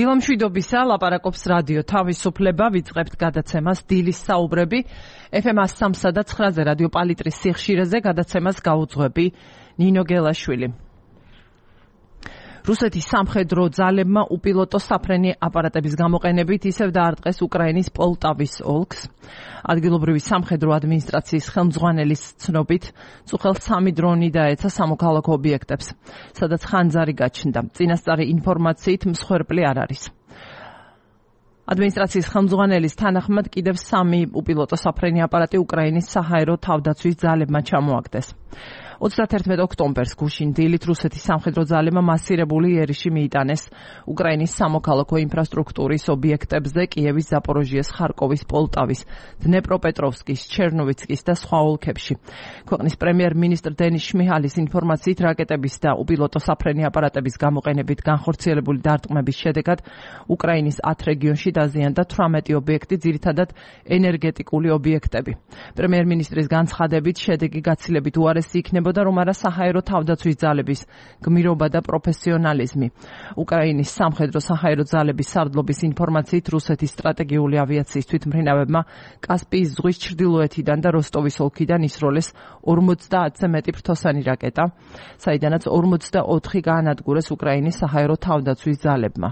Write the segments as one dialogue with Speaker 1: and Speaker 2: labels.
Speaker 1: დილამშვიდობისა, ლაპარაკობს რადიო თავისუფლება, ვიწყებთ გადაცემას დილის საუბრები. FM 103 და 9-ზე რადიო პალიტრის სიხშირეზე გადაცემას გაუძღვები ნინო გელაშვილი. რუსეთის სამხედრო ძალებმა უპილოტო საფრენი აპარატების გამოყენებით ისევ დაარტყეს უკრაინის პოლტავის ოლქს. ადგილობრივი სამხედრო ადმინისტრაციის ხელმძღვანელის ცნობით, წუხელს 3 დრონი დაეცა სამოქალაქო ობიექტებს, სადაც ხანძარი გაჩნდა. წინასწარი ინფორმაციით მსხვერპლი არ არის. ადმინისტრაციის ხელმძღვანელის თანახმად კიდევ 3 უპილოტო საფრენი აპარატი უკრაინის საჰაერო თავდაცვის ძალებმა ჩამოაგდეს. 31 ოქტომბერს გუშინ დილით რუსეთის სამხედრო ძალებმა მასირებული იერიში მიიტანეს უკრაინის სამოქალაქო ინფრასტრუქტურის ობიექტებზე კიევის, ზაპოროჟიეს, ხარკოვის, პოლტავის, დნეპროპეტროვსკის, ჩერნოვიცკის და სხვა ოლქებში. ქვეყნის პრემიერ-მინისტრ დენის შმიჰალის ინფორმაციით რაკეტების და უპილოტო საფრენი აპარატების გამოყენებით განხორციელებული დარტყმების შედეგად უკრაინის 10 რეგიონში დაზიანდა 18 ობიექტი, ძირითადად ენერგეტიკული ობიექტები. პრემიერ-მინისტრის განცხადებით შედეგი გაცილებით უარესი იქნებოდა, რომ არა საჰაერო თავდაცვის ძალების გმირობა და პროფესიონალიზმი. უკრაინის სამხედრო საჰაერო ძალების სარდლობის ინფორმაციით რუსეთის სტრატეგიული ავიაციის თვითმფრინავებმა კასპიის ზღვის ჩრდილოეთიდან და როსტოვის ოლქიდან ისროლეს 50-ზე მეტი ფრთოსანი რაკეტა, საიდანაც 44 გაანადგურეს უკრაინის საჰაერო თავდაცვის ძალებმა.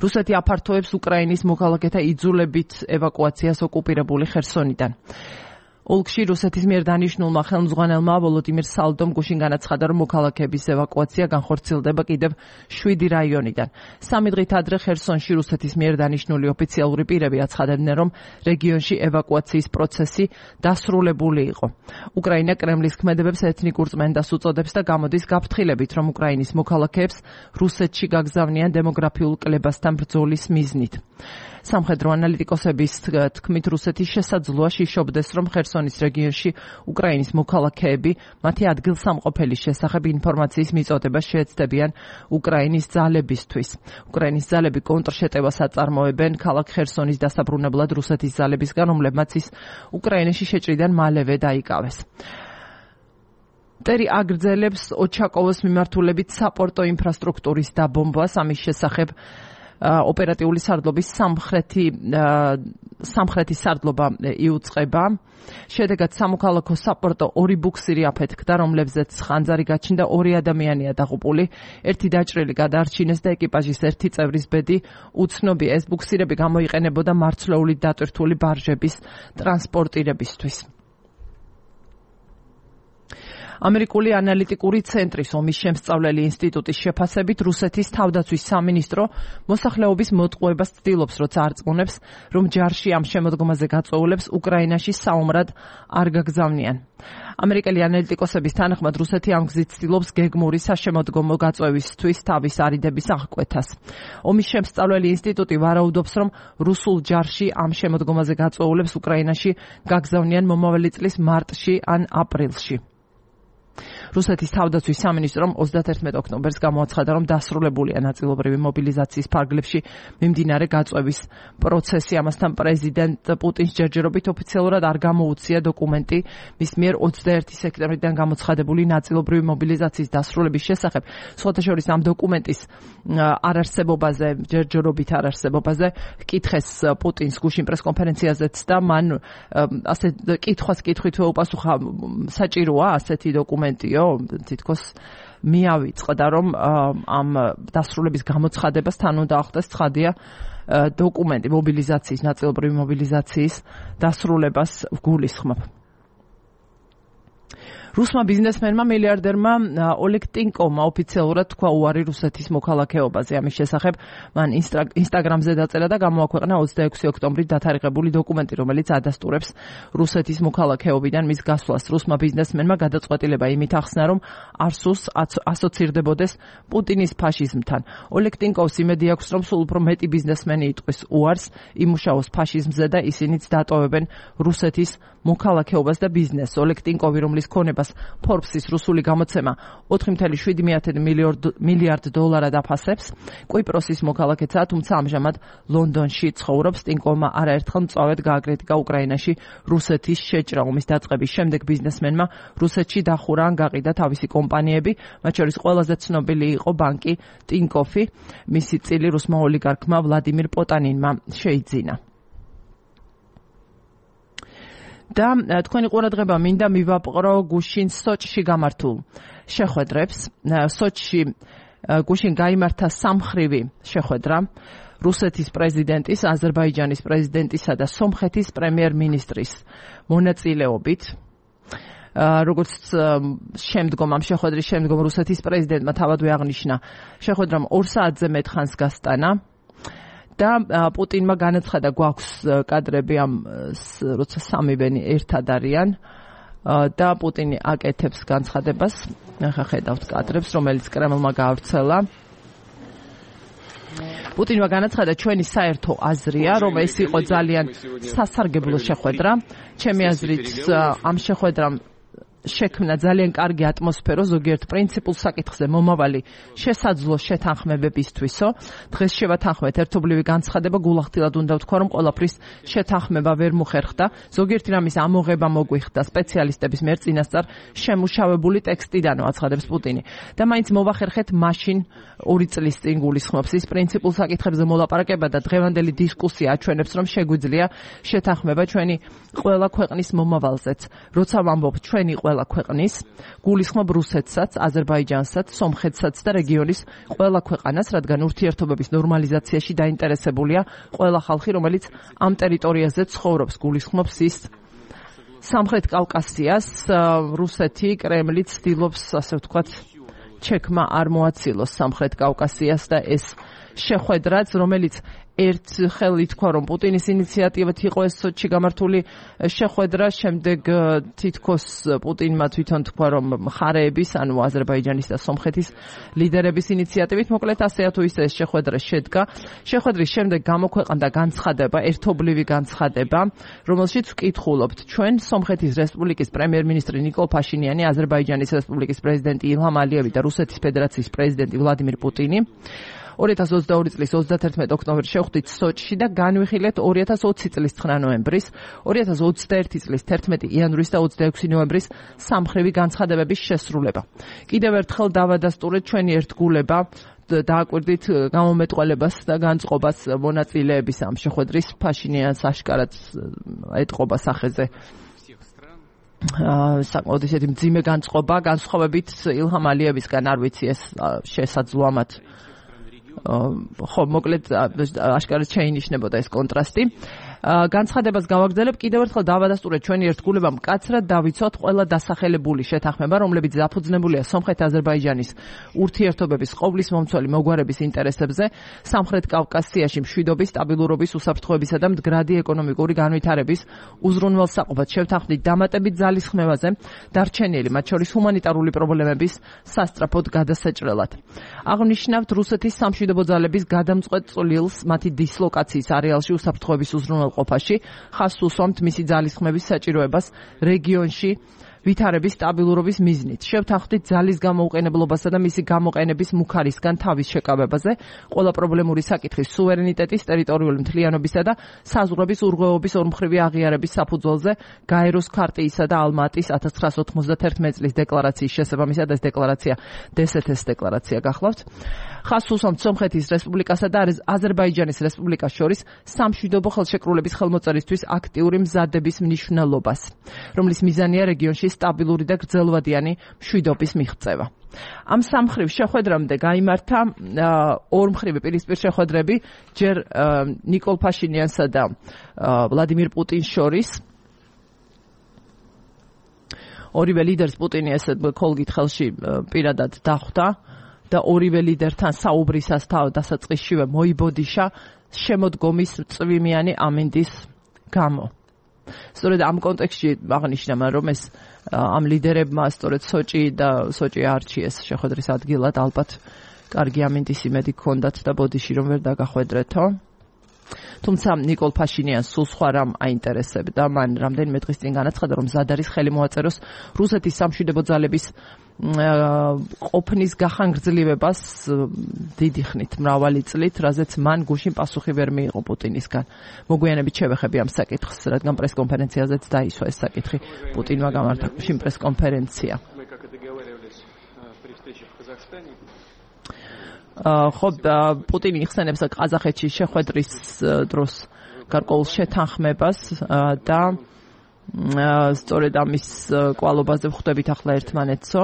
Speaker 1: რუსეთი აფართოებს უკრაინის მოქალაქეთა იძულებით ევაკუაციას ოკუპირებული ხერსონიდან. ოლქში რუსეთის მიერ დანიშნულმა ხელმძღვანელმა ვოლოდიმირ სალდომ გუშინ განაცხადა, რომ მოქალაქეების ევაკუაცია განხორციელდება კიდევ 7 რაიონიდან. 3 დღით ადრე ხერსონში რუსეთის მიერ დანიშნული ოფიციალური პირები აცხადებდნენ, რომ რეგიონში ევაკუაციის პროცესი დასრულებული იყო. უკრაინა კრემლის ქმედებებს ეთნიკურ წმენდას უწოდებს და გამოდის გაფრთხილებით, რომ უკრაინის მოქალაქეებს რუსეთში გაგზავნიან დემოგრაფიულ კლებასთან ბრძოლის მიზნით. სამხედრო ანალიტიკოსების თქმით, რუსეთის შესაძლოა შიშობდეს, რომ ხერსონის რეგიონში უკრაინის მოქალაქეები მათი ადგილსამყოფელის შესახებ ინფორმაციის მიწოდებას შეეცდებიან უკრაინის ძალებისთვის. უკრაინის ძალები კონტრშეტევას აწარმოებენ ქალაქ ხერსონის დასაბრუნებლად რუსეთის ძალებისგან, რომლებმაც ის უკრაინაში შეჭრიდან მალევე დაიკავეს. მტერი აგრძელებს ოჩაკოვოს მიმართულებით საპორტო ინფრასტრუქტურის დაბომბვას, ამის შესახებ ოპერატიული სარდლობის სამხრეთის სარდლობა იუწყება. შედეგად სამოქალაქო საპორტო 2 ბუქსირი აფეთქდა, რომლებზეც ხანძარი გაჩნდა, 2 ადამიანია დაღუპული, 1 დაჭრილი გადაარჩინეს და ეკიპაჟის 1 წევრის ბედი უცნობია. ეს ბუქსირები გამოიყენებოდა მარცვლეულით დატვირთული ბარჟების ტრანსპორტირებისთვის. ამერიკული ანალიტიკური ცენტრის ომის შემსწავლელი ინსტიტუტის შეფასებით რუსეთის თავდაცვის სამინისტრო მოსახლეობის მოტყუებას ცდილობს, როცა არწმუნებს, რომ ჯარში ამ შემოდგომაზე გაწვეულებს უკრაინაში საომრად არ გაგზავნიან. ამერიკელი ანალიტიკოსების თანახმად რუსეთი ამ გზით ცდილობს გეგმური საშემოდგომო გაწვევისთვის თავის არიდების აღკვეთას. ომის შემსწავლელი ინსტიტუტი ვარაუდობს, რომ რუსულ ჯარში ამ შემოდგომაზე გაწვეულებს უკრაინაში გაგზავნიან მომავალი წლის მარტში ან აპრილში. რუსეთის თავდაცვის სამინისტრომ 31 ოქტომბერს გამოაცხადა, რომ დასრულებულია ნაწილობრივი მობილიზაციის ფარგლებში მიმდინარე გაწვევის პროცესი. ამასთან პრეზიდენტ პუტინის ჯერჯერობით ოფიციალურად არ გამოუცია დოკუმენტი მის მიერ 21 სექტემბრიდან გამოცხადებული ნაწილობრივი მობილიზაციის დასრულების შესახებ. სხვათა შორის ამ დოკუმენტის არარსებობაზე, ჯერჯერობით არარსებობაზე კითხეს პუტინს გუშინ პრესკონფერენციაზეც და მან ასე კითხვას კითხვით უპასუხა, საჭიროა ასეთი დოკუმენტიო, თითქოს მიავიწყდა, რომ ამ დასრულების გამოცხადებას თან უნდა ახდეს ცხადია დოკუმენტი მობილიზაციის, ნაწილობრივი მობილიზაციის დასრულებას გულისხმობ. რუსმა ბიზნესმენმა მილიარდერმა ოლეგ ტინკოვმა ოფიციალურად თქვა უარი რუსეთის მოქალაქეობაზე. ამის შესახებ მან ინსტაგრამზე დაწერა და გამოაქვეყნა 26 ოქტომბრის დათარიღებული დოკუმენტი, რომელიც ადასტურებს რუსეთის მოქალაქეობიდან მის გასვლას. რუსმა ბიზნესმენმა გადაწყვეტილება იმით ახსნა, რომ არ სურს ასოცირდებოდეს პუტინის ფაშიზმთან. ოლეგ ტინკოვს იმედი აქვს, რომ სულ უფრო მეტი ბიზნესმენი იტყვის უარს, იმუშაოს ფაშიზმზე და ისინიც დატოვებენ რუსეთის მოქალაქეობას და ბიზნესს. ოლეგ ტინკოვი, რომლის ქონება განცხადებას Forbes-ის რუსული გამოცემა 4.7 მილიარდ დოლარად აფასებს. კვიპროსის მოქალაქეა, თუმცა ამჟამად ლონდონში ცხოვრობს. ტინკოვმა არაერთხელ მწვავედ გააკრიტიკა უკრაინაში რუსეთის შეჭრა. ომის დაწყების შემდეგ ბიზნესმენმა რუსეთში დახურა ან გაყიდა თავისი კომპანიები, მათ შორის ყველაზე ცნობილი იყო ბანკი ტინკოფი. მისი წილი რუსმა ოლიგარქმა ვლადიმირ პოტანინმა შეიძინა. და თქვენი ყურადღება მინდა მივაპყრო გუშინ სოჭში გამართულ შეხვედრებს. სოჭში გუშინ გაიმართა სამხრივი შეხვედრა რუსეთის პრეზიდენტის, აზერბაიჯანის პრეზიდენტისა და სომხეთის პრემიერ-მინისტრის მონაწილეობით. როგორც შემდგომ ამ შეხვედრის შემდგომ რუსეთის პრეზიდენტმა თავადვე აღნიშნა, შეხვედრამ 2 საათზე მეტ ხანს გასტანა. და პუტინმა განაცხადა, გვაქვს კადრები ამ როცა სამივენი ერთად არიან და პუტინი აკეთებს განცხადებას. ახლა ხედავთ კადრებს, რომელიც კრემლმა გაავრცელა. პუტინმა განაცხადა, ჩვენი საერთო აზრია, რომ ეს იყო ძალიან სასარგებლო შეხვედრა. ჩემი აზრით, ამ შეხვედრამ შექმნა ძალიან კარგი ატმოსფერო ზოგიერთ პრინციპულ საკითხზე მომავალი შესაძლო შეთანხმებებისთვისო. დღეს შევათანხმეთ ერთობლივი განცხადება, გულახდილად უნდა ვთქვა, რომ ყველაფრის შეთანხმება ვერ მოხერხდა. ზოგიერთი რამის ამოღება მოგვიხდა სპეციალისტების მიერ წინასწარ შემუშავებული ტექსტიდან, აცხადებს პუტინი. და მაინც მოვახერხეთ მაშინ 2 წლის წინ გულისხმობს ის პრინციპულ საკითხებზე მოლაპარაკება და დღევანდელი დისკუსია აჩვენებს, რომ შეგვიძლია შეთანხმება ჩვენი ყველა ქვეყნის მომავალზეც. როცა ვამბობ ჩვენი ყველა ქვეყნის, გულისხმობ რუსეთსაც, აზერბაიჯანსაც, სომხეთსაც და რეგიონის ყველა ქვეყანას, რადგან ურთიერთობების ნორმალიზაციაში დაინტერესებულია ყველა ხალხი, რომელიც ამ ტერიტორიაზე ცხოვრობს. გულისხმობს ის სამხრეთ კავკასიას, რუსეთი, კრემლი ცდილობს, ასე ვთქვათ, ჩექმა არ მოაცილოს სამხრეთ კავკასიას და ეს შეხვედრაც, რომელიც ერთხელ ითქვა, რომ პუტინის ინიციატივით იყო ეს სოჭში გამართული შეხვედრა, შემდეგ თითქოს პუტინმა თვითონ თქვა, რომ მხარეების, ანუ აზერბაიჯანის და სომხეთის ლიდერების ინიციატივით, მოკლედ ასეა თუ ისე ეს შეხვედრა შედგა. შეხვედრის შემდეგ გამოქვეყნდა განცხადება, ერთობლივი განცხადება, რომელშიც ვკითხულობთ, ჩვენ სომხეთის რესპუბლიკის პრემიერ-მინისტრი ნიკოლ ფაშინიანი, აზერბაიჯანის რესპუბლიკის პრეზიდენტი ილჰამ ალიევი და რუსეთის ფედერაციის პრეზიდენტი ვლადიმირ პუტინი 2022 წლის 31 ოქტომბერს შევხვდით სოჭში და განვიხილეთ 2020 წლის 9 ნოემბრის, 2021 წლის 11 იანვრის და 26 ნოემბრის სამხრივი განცხადებების შესრულება. კიდევ ერთხელ დავადასტურეთ ჩვენი ერთგულება, დააკვირდით გამომეტყველებას და განწყობას მონაწილეების ამ შეხვედრის ფაშინიანს აშკარად ეტყობა სახეზე. საკმაოდ ისეთი მძიმე განწყობა, განსხვავებით ილჰამ ალიევისგან არ ვიცი ეს შესაძლოა მათ ხო, მოკლედ აშკარად შეინიშნებოდა ეს კონტრასტი. განცხადებას გავაგრძელებ, კიდევ ერთხელ დავადასტურეთ ჩვენი ერთგულება მკაცრად დავიცვათ ყველა დასახელებული შეთანხმება, რომლებიც დაფუძნებულია სომხეთ-აზერბაიჯანის ურთიერთობების ყოვლის მომცველი მოგვარების ინტერესებზე, სამხრეთ კავკასიაში მშვიდობის, სტაბილურობის, უსაფრთხოებისა და მდგრადი ეკონომიკური განვითარების უზრუნველსაყოფად შევთანხმდით დამატებით ძალისხმევაზე, დარჩენილი, მათ შორის ჰუმანიტარული პრობლემების სასწრაფოდ გადასაჭრელად. აღნიშნავთ რუსეთის სამშვიდობო ძალების გადამწყვეტ წვლილს მათი დისლოკაციის არეალში უსაფრთხოების უზრუნველყოფაში, ხაზს უსვამთ მისი ძალისხმევის საჭიროებას რეგიონში ვითარების სტაბილურობის მიზნით. შევთანხმდით ძალის გამოუყენებლობასა და მისი გამოყენების მუქარისგან თავის შეკავებაზე, ყველა პრობლემური საკითხის სუვერენიტეტის, ტერიტორიული მთლიანობისა და საზღვრების ურღვევობის ორმხრივი აღიარების საფუძველზე გაეროს ქარტიისა და ალმა-ატის 1991 წლის დეკლარაციის შესაბამისად ეს დეკლარაცია დსთ-ს დეკლარაცია გახლავთ. ხაზს უსვამთ სომხეთის რესპუბლიკასა და აზერბაიჯანის რესპუბლიკას შორის სამშვიდობო ხელშეკრულების ხელმოწერისთვის აქტიური მზადების მნიშვნელობას, რომლის მიზანია რეგიონში სტაბილური და გრძელვადიანი მშვიდობის მიღწევა. ამ სამხრივ შეხვედრამდე გაიმართა ორმხრივი პირისპირ შეხვედრები ჯერ ნიკოლ ფაშინიანსა და ვლადიმირ პუტინს შორის. ორივე ლიდერს პუტინი ესეთ კოლგით ხელში პირადად დახვდა და ორივე ლიდერთან საუბრისას დასაწყისშივე მოიბოდიშა შემოდგომის წვიმიანი ამინდის გამო. სწორედ ამ კონტექსტში აღნიშნა, რომ ეს ამ ლიდერებმა სწორედ სოჭი არჩიეს შეხვედრის ადგილად, ალბათ კარგი ამინდის იმედი ჰქონდათ და ბოდიში რომ ვერ დაგახვედრეთო. თუმცა ნიკოლ ფაშინიანს სულ სხვა რამ აინტერესებდა. მან რამდენიმე დღის წინ განაცხადა, რომ მზად არის ხელი მოაწეროს რუსეთის სამშვიდობო ძალების ყოფნის გახანგრძლივებას დიდი ხნით, მრავალი წლით, რაზეც მან გუშინ პასუხი ვერ მიიღო პუტინისგან. მოგვიანებით შევეხები ამ საკითხს, რადგან პრესკონფერენციაზეც დაისვა ეს საკითხი. პუტინმა გამართა გუშინ პრესკონფერენცია. ხო, პუტინი იხსენებს ყაზახეთში შეხვედრის დროს გარკვეულ შეთანხმებას და სწორედ ამის კვალობაზე ვხვდებით ახლა ერთმანეთსო.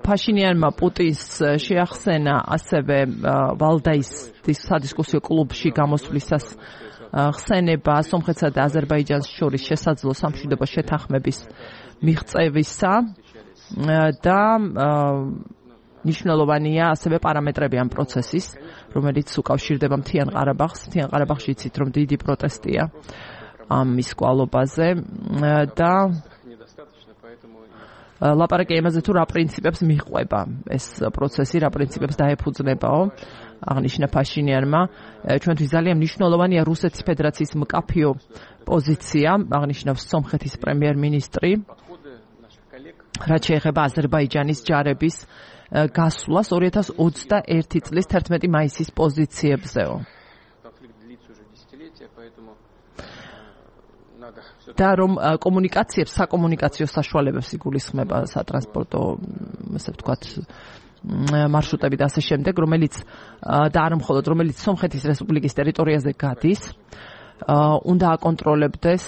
Speaker 1: ფაშინიანმა პუტინს შეახსენა ასევე ვალდაის სადისკუსიო კლუბში გამოსვლისას ხსენება სომხეთსა და აზერბაიჯანს შორის შესაძლო სამშვიდობო შეთანხმების მიღწევისა და ნიშნულოვანია ასევე პარამეტრები ამ პროცესის, რომელიც უკავშირდება მთიან ყარაბაღს. მთიან ყარაბაღში იცით, რომ დიდი პროტესტია ამის კვალობაზე და ლაპარაკი იმაზე თუ რა პრინციპებს მიჰყვება ეს პროცესი, რა პრინციპებს დაეფუძნებაო, აღნიშნა ფაშინიანმა. ჩვენთვის ძალიან მნიშვნელოვანია რუსეთის ფედერაციის მკაფიო პოზიცია, აღნიშნავს სომხეთის პრემიერ-მინისტრი, რაც შეეხება აზერბაიჯანის ჯარების გასვლას 2021 წლის 11 მაისის პოზიციებზეო. და რომ კომუნიკაციებს, საკომუნიკაციო საშუალებებს იგულისხმება სატრანსპორტო, ასე ვთქვათ, მარშრუტები და ასე შემდეგ, რომელიც და არ მხოლოდ რომელიც სომხეთის რესპუბლიკის ტერიტორიაზე გადის, უნდა აკონტროლებდეს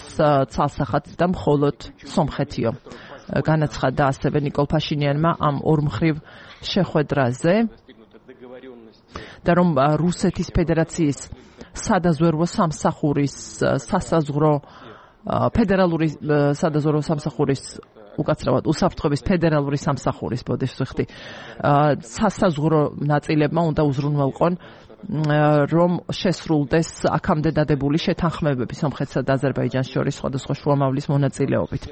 Speaker 1: ცალსახად და მხოლოდ სომხეთიო. განაცხადა ასევე ნიკოლ ფაშინიანმა ამ ორმხრივ შეხვედრაზე და რომ რუსეთის ფედერაციის სადაზვერვო სამსახურის სასაზღვრო ფედერალური სადაზვერვო სამსახურის უკაცრავად უსაფრთხოების ფედერალური სამსახურის ბოდიშხდი სასაზღვრო ნაწილებმა უნდა უზრუნველყონ რომ შესრულდეს აქამდე დადებული შეთანხმებები სომხეთსა და აზერბაიჯანს შორის სხვადასხვა შუამავლის მონაწილეობით.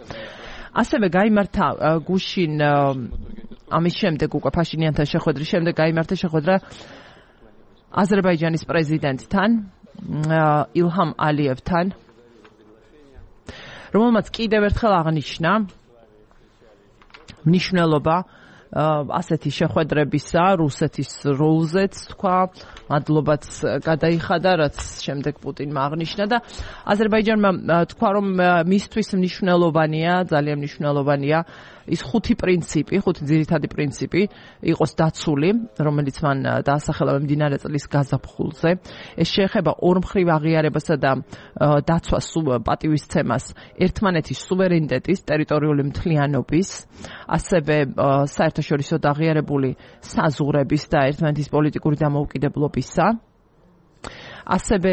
Speaker 1: ასევე გაიმართა გუშინ ამის შემდეგ უკვე ფაშინიანთან შეხვედრის შემდეგ გაიმართა შეხვედრა აზერბაიჯანის პრეზიდენტთან ილჰამ ალიევთან, რომელმაც კიდევ ერთხელ აღნიშნა მნიშვნელობა ასეთი შეხვედრებისა რუსეთის როლზეც თქვა, მადლობაც გადაიხადა, რაც შემდეგ პუტინმა აღნიშნა და აზერბაიჯანმა თქვა, რომ მისთვის მნიშვნელოვანია, ძალიან მნიშვნელოვანია ის ხუთი ძირითადი პრინციპი იყოს დაცული, რომელიც მან დაასახელა მიმდინარე წლის გაზაფხულზე. ეს შეეხება ორმხრივ აღიარებასა და დაცვას, პატივისცემას, ერთმანეთის სუვერენიტეტის, ტერიტორიული მთლიანობის, ასევე საერთაშორისო აღიარებული საზღვრების და ერთმანეთის პოლიტიკური დამოუკიდებლობისა. ასევე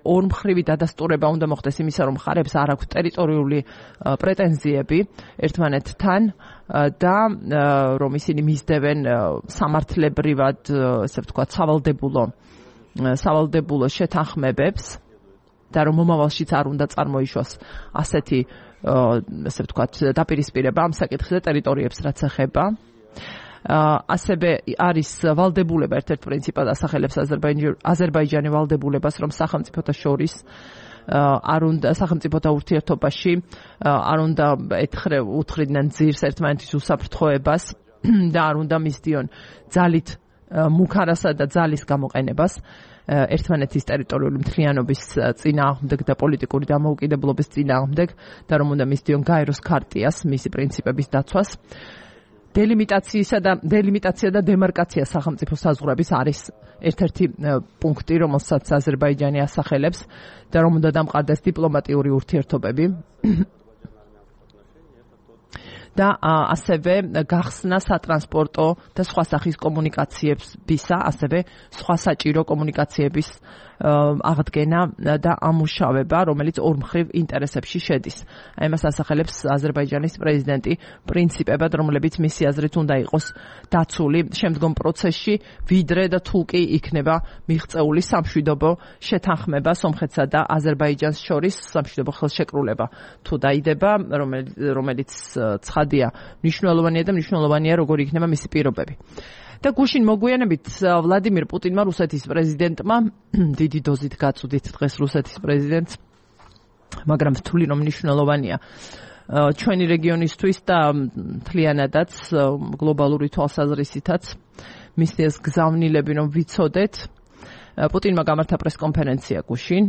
Speaker 1: ორმხრივი დადასტურება უნდა მოხდეს იმისა, რომ მხარებს არ აქვთ ტერიტორიული პრეტენზიები ერთმანეთთან და რომ ისინი მისდევენ სამართლებრივად, ასე ვთქვათ, სავალდებულო შეთანხმებებს და რომ მომავალშიც არ უნდა წარმოიშვას ასეთი, ასე ვთქვათ, დაპირისპირება ამ საკითხზე ტერიტორიებს რაც ეხება. ასევე არის ვალდებულება ერთ-ერთ პრინციპად ასახელებს აზერბაიჯანი ვალდებულებას, რომ სახელმწიფოთა შორის არ უნდა სახელმწიფოთა ურთიერთობაში არ უნდა უთხრიდნენ ძირს ერთმანეთის უსაფრთხოებას და არ უნდა მისდიონ ძალით მუქარასა და ძალის გამოყენებას ერთმანეთის ტერიტორიული მთლიანობის წინააღმდეგ და პოლიტიკური დამოუკიდებლობის წინააღმდეგ და რომ უნდა მისდიონ გაეროს ქარტიას, მისი პრინციპების დაცვას. დელიმიტაცია და დემარკაცია სახელმწიფო საზღვრების არის ერთ-ერთი პუნქტი, რომელსაც აზერბაიჯანი ასახელებს და რომ უნდა დამყარდეს დიპლომატიური ურთიერთობები და ასევე გახსნა სატრანსპორტო და სხვა სახის კომუნიკაციებისა, ასევე სხვა საჭირო კომუნიკაციების აღდგენა და ამუშავება, რომელიც ორმხრივ ინტერესებში შედის. ამას ასახელებს აზერბაიჯანის პრეზიდენტი პრინციპებად, რომლებიც მისი აზრით უნდა იყოს დაცული შემდგომ პროცესში, ვიდრე და თუ კი იქნება მიღწეული სამშვიდობო შეთანხმება სომხეთსა და აზერბაიჯანს შორის სამშვიდობო ხელშეკრულება თუ დაიდება, რომელიც ცხადია მნიშვნელოვანია და მნიშვნელოვანია როგორი იქნება მისი პირობები. და გუშინ მოგვიანებით ვლადიმირ პუტინმა რუსეთის პრეზიდენტმა დიდი დოზით გაწუდით დღეს რუსეთის პრეზიდენტს, მაგრამ თვლი რომ მნიშვნელოვანია ჩვენი რეგიონისთვის და მთლიანადაც გლობალური თვალსაზრისითაც მისი ეს გზავნილები რომ ვიცოდეთ. პუტინმა გამართა პრესკონფერენცია გუშინ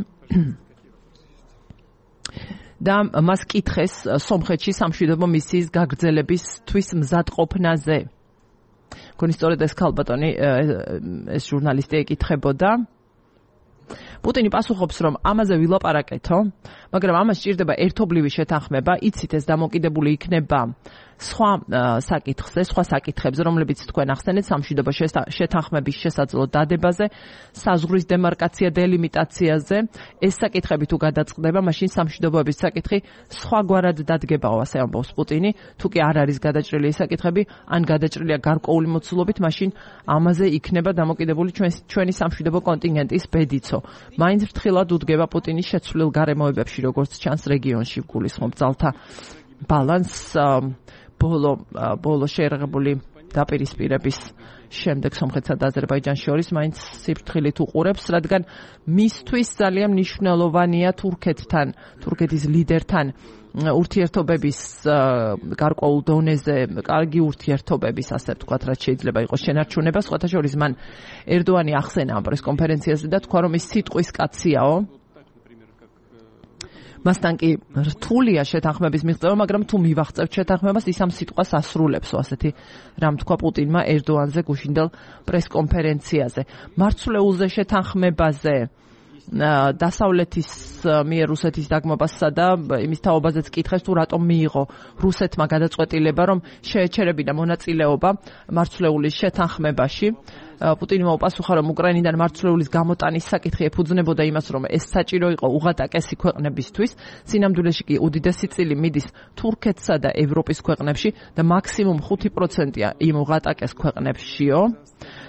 Speaker 1: და მას კითხეს სომხეთში სამშვიდობო მისიის გაგრძელებისთვის მზადყოფნაზე. გონი სწორედ ეს ქალბატონი ეს ჟურნალისტი ეკითხებოდა. პუტინი პასუხობს, რომ ამაზე ვილაპარაკეთო, მაგრამ ამას სჭირდება ერთობლივი შეთანხმება, იცით ეს დამოკიდებული იქნება სხვა საკითხებზე, რომლებიც თქვენ ახსენეთ, სამშვიდობო შეთანხმების შესაძლო დადებაზე, საზღვრის დემარკაცია დელიმიტაციაზე. ეს საკითხები თუ გადაწყდება, მაშინ სამშვიდობოების საკითხი სხვაგვარად დადგებაო, ასე ამბობს პუტინი. თუ კი არ არის გადაჭრილი ეს საკითხები, ან გადაჭრილია გარკვეული მოცულობით, მაშინ ამაზე იქნება დამოკიდებული ჩვენი სამშვიდობო კონტინენტის ბედიცო. მაინც ფრთხილად უდგება პუტინის შეცვლილ გარემოებებში, როგორც ჩანს რეგიონში გულისხმობ ძალთა ბალანსს ბოლო შეერაღებული დაპირისპირების შემდეგ სომხეთსა და აზერბაიჯანს შორის მაინც სიფრთხილით უყურებს, რადგან მისთვის ძალიან მნიშვნელოვანია თურქეთის ლიდერთან ურთიერთობების გარკვეულ დონეზე, კარგი ურთიერთობების, ასე ვთქვათ, რაც შეიძლება იყოს შენარჩუნება. სხვათა შორის მან ერდოანი ახსენა ამ პრესკონფერენციაზე და თქვა, რომ ის სიტყვის კაციაო. მასთან კი რთულია შეთანხმების მიღწევა, მაგრამ თუ მივახწევთ შეთანხმებას, ის ამ სიტყვას ასრულებსო, ასეთი რამ თქვა პუტინმა ერდოანზე გუშინდელ პრესკონფერენციაზე. მარცვლეულზე შეთანხმებაზე დასავლეთის მიერ რუსეთის დაგმობასა და იმის თაობაზეც კითხეს, თუ რატომ მიიღო რუსეთმა გადაწყვეტილება, რომ შეეჩერებინა მონაწილეობა მარცვლეულის შეთანხმებაში. პუტინმა უპასუხა, რომ უკრაინიდან მარცვლეულის გამოტანის საკითხი ეფუძნებოდა იმას, რომ ეს საჭირო იყო უღატაკესი ქვეყნებისთვის. სინამდვილეში კი უდიდესი წილი მიდის თურქეთსა და ევროპის ქვეყნებში და მაქსიმუმ 5%-ია იმ უღატაკეს ქვეყნებშიო.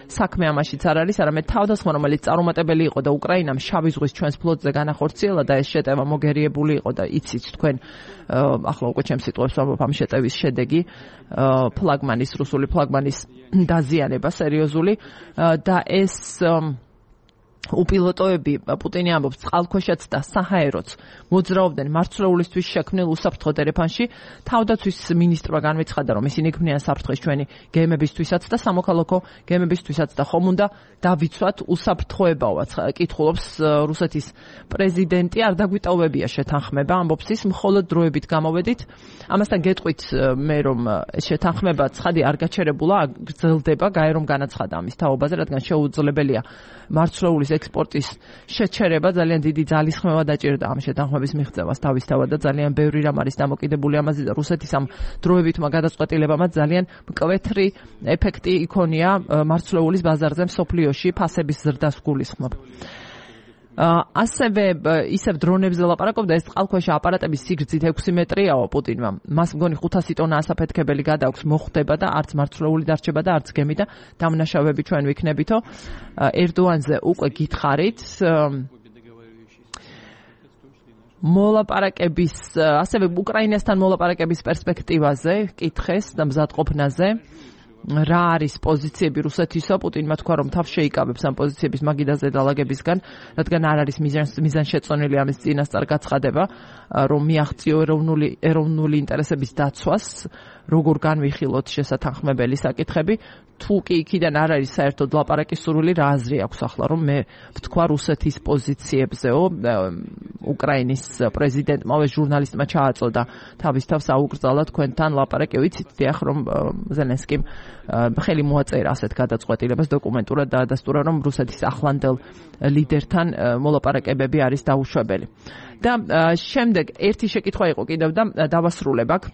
Speaker 1: საქმე ამაშიც არ არის, არამედ თავდასხმა, რომელიც წარუმატებელი იყო და უკრაინამ შავი ზღვის ჩვენს ფლოტზე განახორციელა და ეს შეტევა მოგერიებული იყო და იცით თქვენ ახლა უკვე ჩემს სიტყვებს ვამბობ ამ შეტევის შედეგი რუსული ფლაგმანის დაზიანება სერიოზული და ეს უპილოტოები პუტინი ამბობს წყალქვეშაც და საჰაეროც მოძრაობდნენ მარცვლეულისთვის შექმნილ უსაფრთხო დერეფანში. თავდაცვის მინისტრმა განვეცხადა, რომ ისინი ქმნიან საფრთხეს ჩვენი გემებისთვისაც და სამოქალაქო გემებისთვისაც და ხომ უნდა დავიცვათ უსაფრთხოებაოაც. კითხულობს რუსეთის პრეზიდენტი, არ დაგვიტოვებია შეთანხმება, ამბობს ის, მხოლოდ დროებით გამოვედით. ამასთან გეტყვით მე, რომ შეთანხმება ცხადი არ გაჩერებულა, გრძელდება, გაერომ განაცხადა ამის თაობაზე, რადგან შეუძლებელია მარცვლეულის ექსპორტის შეჩერება, ძალიან დიდი ძალისხმევა დაჭირდა ამ შეთანხმების მიღწევას თავისთავად და ძალიან ბევრი რამ არის დამოკიდებული ამაზე და რუსეთის ამ დროებითმა გადაწყვეტილებამაც ძალიან მკვეთრი ეფექტი იქონია მარცვლეულის ბაზარზე მსოფლიოში ფასების ზრდას გულისხმობ. ასევე ისევ დრონებზე ლაპარაკობდა, ეს წყალქვეშა აპარატების სიგრძით 6 მეტრიაო პუტინმა. მას მგონი 500 ტონა ასაფეთქებელი გადააქვს, მოხვდება და არც მარცვლეული დარჩება და არც გემი და დამნაშავეები ჩვენ ვიქნებითო. ერდოანზე უკვე გითხარით მოლაპარაკების, ასევე უკრაინასთან მოლაპარაკების პერსპექტივაზე კითხეს და მზადყოფნაზე. რა არის პოზიციები რუსეთისა? პუტინმა თქვა, რომ თავს შეიკავებს ამ პოზიციების მაგიდაზე დალაგებისგან, რადგან არ არის მიზანშეწონილი ამის წინასწარ გაცხადება, რომ მიაღწიო ეროვნული ინტერესების დაცვას, როგორ განვიხილოთ შესათანხმებელი საკითხები. თუ კი იქიდან არ არის საერთოდ ლაპარაკის სურვილი, რა აზრი აქვს ახლა, რომ მე ვთქვა რუსეთის პოზიციებზეო. უკრაინის პრეზიდენტმა ჟურნალისტმა ჩააწოდა თავის თავს აუკრძალა თქვენთან ლაპარაკი. ვიცით დიახ, რომ ზელენსკიმ ხელი მოაწერა ასეთ გადაწყვეტილებას, დოკუმენტურად დაადასტურა, რომ რუსეთის ახლანდელ ლიდერთან მოლაპარაკებები არის დაუშვებელი. და შემდეგ ერთი შეკითხვა იყო კიდევ და დავასრულებ აქ.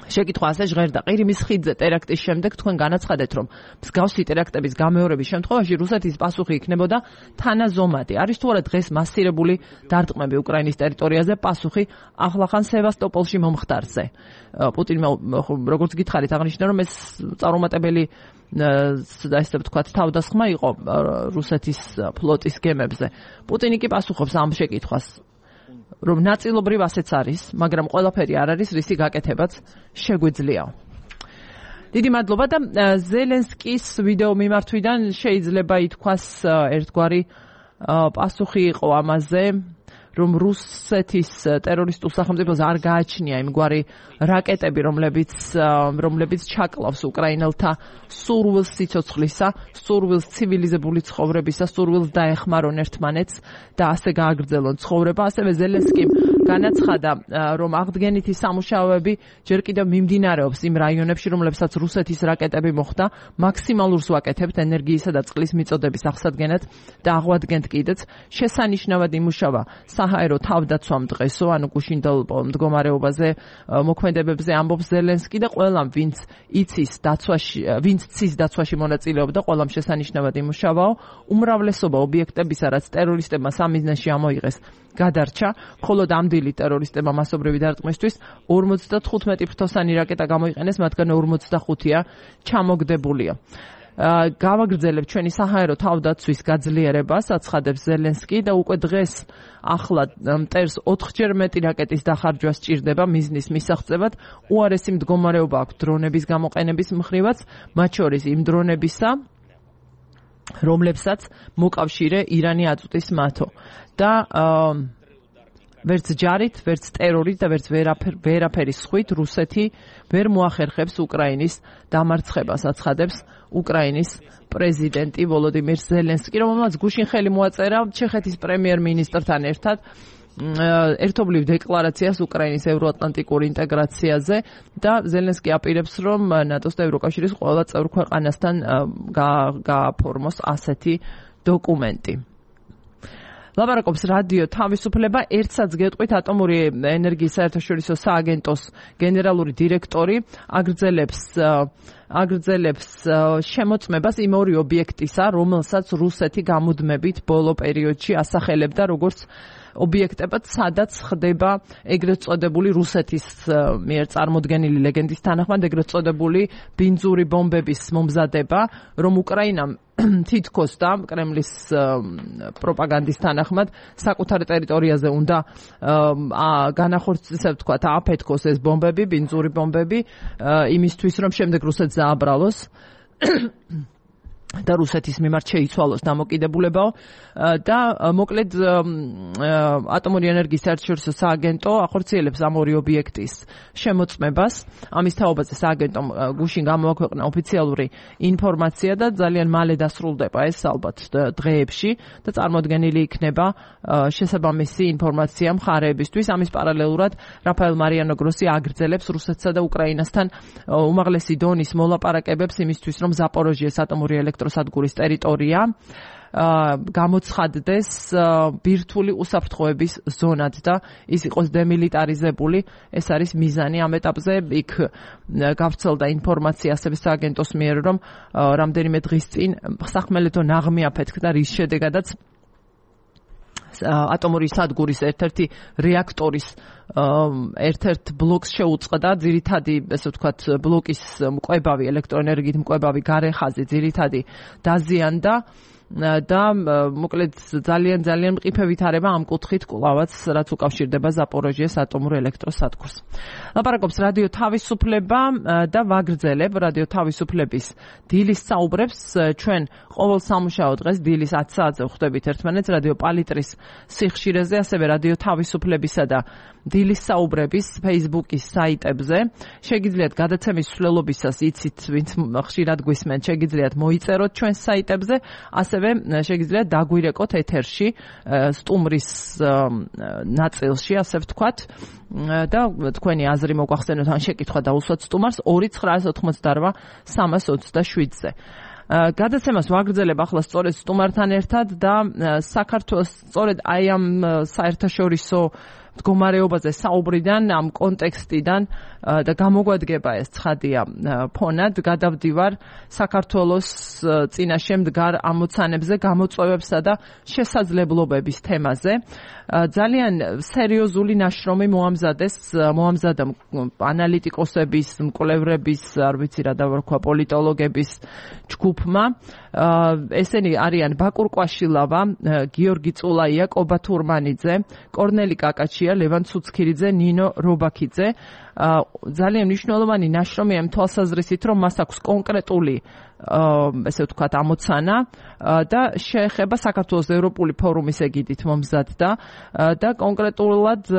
Speaker 1: შეკითხვა ასე ჟღერდა: ყირიმის ხიდზე ტერაქტის შემდეგ თქვენ განაცხადეთ, რომ მსგავსი ტერაქტების გამეორების შემთხვევაში რუსეთის პასუხი იქნებოდა თანაზომადი. არის თუ არა დღეს მასირებული დარტყმები უკრაინის ტერიტორიაზე პასუხი ახლახან სევასტოპოლში მომხდარზე? პუტინმა როგორც გითხარით აღნიშნა, რომ ეს წარუმატებელი ესე ვთქვათ თავდასხმა იყო რუსეთის ფლოტის გემებზე. პუტინი კი პასუხობს ამ შეკითხვას, რომ ნაწილობრივ ასეც არის, მაგრამ ყველაფერი არ არის, რისი გაკეთებაც შეგვიძლია. დიდი მადლობა და ზელენსკის ვიდეო მიმართვიდან შეიძლება ითქვას ერთგვარი პასუხი იყო ამაზე, რომ რუსეთის ტერორისტულ სახელმწიფოს არ გააჩნია იმგვარი რაკეტები, რომლებიც ჩაკლავს უკრაინელთა სურვილს სიცოცხლისა, სურვილს ცივილიზებული ცხოვრებისა, სურვილს დაეხმარონ ერთმანეთს და ასე გააგრძელონ ცხოვრება. ასევე ზელენსკიმ განაცხადა, რომ აღდგენითი სამუშაოები ჯერ კიდევ მიმდინარეობს იმ რაიონებში, რომლებსაც რუსეთის რაკეტები მოხვდა. მაქსიმალურს ვაკეთებთ ენერგიისა და წყლის მიწოდების აღსადგენად და აღვადგენთ კიდეც. შესანიშნავად იმუშავა საჰაერო თავდაცვამ დღესო, ანუ გუშინდელ მდგომარეობაზე მოქმედებებზე ამბობს ზელენსკი და ყველამ, ვინც ცის დაცვაში მონაწილეობდა, ყველამ შესანიშნავად იმუშავაო. უმრავლესობა ობიექტებისა, რაც ტერორისტებმა სამიზნეში ამოიღეს, გადარჩა, ხოლო ამდილი ტერორისტებმა მასობრივი დარტყმისთვის 55 ფრთოსანი რაკეტა გამოიყენეს, მათგან 45-ია ჩამოგდებულია. გავაგრძელებ ჩვენი საჰაერო თავდაცვის გაძლიერებას, აცხადებს ზელენსკი და უკვე დღეს ახლა მტერს 4-ჯერ მეტი რაკეტის დახარჯვა სჭირდება მიზნის მისაღწევად. უარესი მდგომარეობა აქვს დრონების გამოყენების მხრივაც, მათ შორის იმ დრონებისა, რომლებსაც მოკავშირე ირანი აწვდის მათო. და ვერც ჯარით, ვერც ტერორით და ვერც ვერაფერის სხვით რუსეთი ვერ მოახერხებს უკრაინის დამარცხებას, აცხადებს უკრაინის პრეზიდენტი ვოლოდიმირ ზელენსკი, რომელმაც გუშინ ხელი მოაწერა ჩეხეთის პრემიერ-მინისტრთან ერთად ერთობლივ დეკლარაციას უკრაინის ევროატლანტიკურ ინტეგრაციაზე და ზელენსკი აპირებს, რომ ნატოს და ევროკავშირის ყველა წევრ ქვეყანასთან გააფორმოს ასეთი დოკუმენტი. ლაპარაკობს რადიო თავისუფლება. ერთსაც გეტყვით, ატომური ენერგიის საერთაშორისო სააგენტოს გენერალური დირექტორი აგრძელებს შემოწმებას იმ ორი ობიექტისა, რომელსაც რუსეთი გამუდმებით ბოლო პერიოდში ასახელებდა როგორც ობიექტებად, სადაც ხდება ეგრეთ წოდებული რუსეთის მიერ წარმოდგენილი ლეგენდის თანახმად ეგრეთ წოდებული ბინძური ბომბების მომზადება, რომ უკრაინამ თითქოს და კრემლის პროპაგანდის თანახმად საკუთარ ტერიტორიაზე უნდა განახორციელოს, თქვა, აფეთქოს ეს ბომბები, ბინძური ბომბები, იმისთვის, რომ შემდეგ რუსეთს დააბრალოს და რუსეთის მიმართ შეიცვალოს დამოკიდებულებაო და მოკლედ ატომური ენერგიის საერთაშორისო სააგენტო ახორციელებს ამ ორი ობიექტის შემოწმებას. ამის თაობაზე სააგენტომ გუშინ გამოაქვეყნა ოფიციალური ინფორმაცია და ძალიან მალე დასრულდება ეს ალბათ დღეებში და წარმოდგენილი იქნება შესაბამისი ინფორმაცია მხარეებისთვის. ამის პარალელურად რაფაელ მარიანო გროსი აგრძელებს რუსეთსა და უკრაინასთან უმაღლესი დონის მოლაპარაკებებს იმისთვის, რომ ზაპოროჟიეს ატომური სადგურის ტერიტორია გამოცხადდეს ბირთვული უსაფრთხოების ზონად და ის იყოს დემილიტარიზებული. ეს არის მიზანი ამ ეტაპზე. იქ გავრცელდა ინფორმაცია ასევე სააგენტოს მიერ, რომ რამდენიმე დღის წინ სახმელეთო ნაღმი აფეთქდა, რის შედეგადაც ატომური სადგურის ერთ-ერთი რეაქტორის ერთ-ერთ ბლოკს შეუწყდა, ძირითადი, ესე ვთქვათ, ბლოკის მკვებავი, ელექტროენერგიით მკვებავი გარეხაზი ძირითადი დაზიანდა და მოკლედ ძალიან მყიფე ვითარება ამ კუთხით კვლავაც, რაც უკავშირდება ზაპოროჟიეს ატომურ ელექტროსადგურს. ლაპარაკობს რადიო თავისუფლება და ვაგრძელებ რადიო თავისუფლების დილის საუბრებს. ჩვენ ყოველ სამუშაო დღეს დილის 10 საათზე ხვდებით ერთმანეთს რადიო პალიტრის სიხშირეზე, ასევე რადიო თავისუფლებისა და დილის საუბრების Facebook-ის საიტებზე. შეგიძლიათ გადაცემის მსვლელობისას, იცით, ვინც ხშირად გვისმენთ, შეგიძლიათ მოიწეროთ ჩვენს საიტებზე, ასევე შეგიძლიათ დაგვირეკოთ ეთერში სტუმრის ნაწილში, ასე ვთქვათ, და თქვენი აზრი მოგვახსენოთ ან შეკითხვა დაუსვათ სტუმარს 2988 327-ზე. გადაცემას ვაგრძელებ ახლა სწორედ სტუმართან ერთად და საქართველოს სწორედ აი ამ საერთაშორისო მდგომარეობაზე საუბრიდან, ამ კონტექსტიდან და გამოგვადგება ეს ცხადია ფონად, გადავდივარ საქართველოს წინაშე მდგარ ამოცანებზე, გამოწვევებსა და შესაძლებლობების თემაზე. ძალიან სერიოზული ნაშრომი მოამზადა ანალიტიკოსების, მკვლევრების, არ ვიცი რა დავარქვა, პოლიტოლოგების ჯგუფმა. ესენი არიან ბაკურ კვაშილავა, გიორგი წულაია, კობა თურმანიძე, კორნელი კაკაჩია, ლევან ცუცქირიძე, ნინო რობაქიძე. ძალიან მნიშვნელოვანი ნაშრომია იმ თვალსაზრისით, რომ მას აქვს კონკრეტული ესე ვთქვათ ამოცანა და შეეხება საქართველოს ევროპული ფორუმის ეგიდით მომზადდა და კონკრეტულად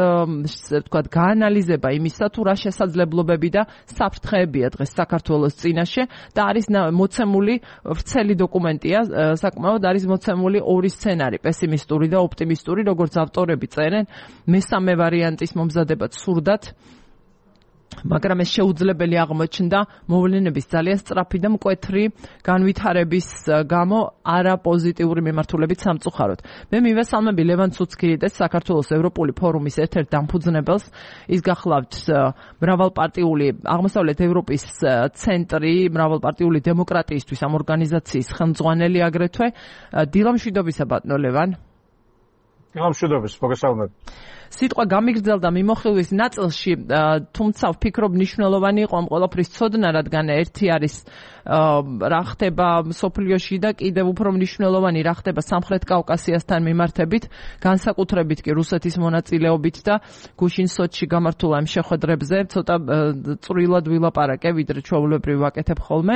Speaker 1: ესე ვთქვათ გაანალიზება იმისა, თუ რა შესაძლებლობები და საფრთხეებია დღეს საქართველოს წინაშე და არის მოცემული ვრცელი დოკუმენტია, საკმაოდ არის მოცემული ორი სცენარი, პესიმისტური და ოპტიმისტური, როგორც ავტორები წერენ, მესამე ვარიანტის მომზადებაც სურდათ, მაგრამ ეს შეუძლებელი აღმოჩნდა მოვლენების ძალიან სწრაფი და მკვეთრი განვითარების გამო არაპოზიტიური მიმართულებით სამწუხაროდ. მე მივესალმები ლევან ცუცქირიდეს, საქართველოს ევროპული ფორუმის ერთ-ერთ დამფუძნებელს. ის გახლავთ მრავალპარტიული აღმოსავლეთ ევროპის ცენტრი, მრავალპარტიული დემოკრატიისთვის ამ ორგანიზაციის ხელმძღვანელი აგრეთვე. დილამშვიდობისა ბატონო ლევან.
Speaker 2: დილამშვიდობის, მოგესალმებით.
Speaker 1: სიტყვა გამიგრძელდა მიმოხილვის ნაწილში, თუმცა ვფიქრობ მნიშვნელოვანი იყო ამ ყველაფრის ცოდნა, რადგან ერთი არის რა ხდება მსოფლიოში და კიდევ უფრო მნიშვნელოვანი რა ხდება სამხრეთ კავკასიასთან მიმართებით, განსაკუთრებით კი რუსეთის მონაწილეობით და გუშინ სოჩში გამართულ ამ შეხვედრებზე ცოტა წვრილად ვილაპარაკე, ვიდრე ჩვეულებრივ ვაკეთებ ხოლმე.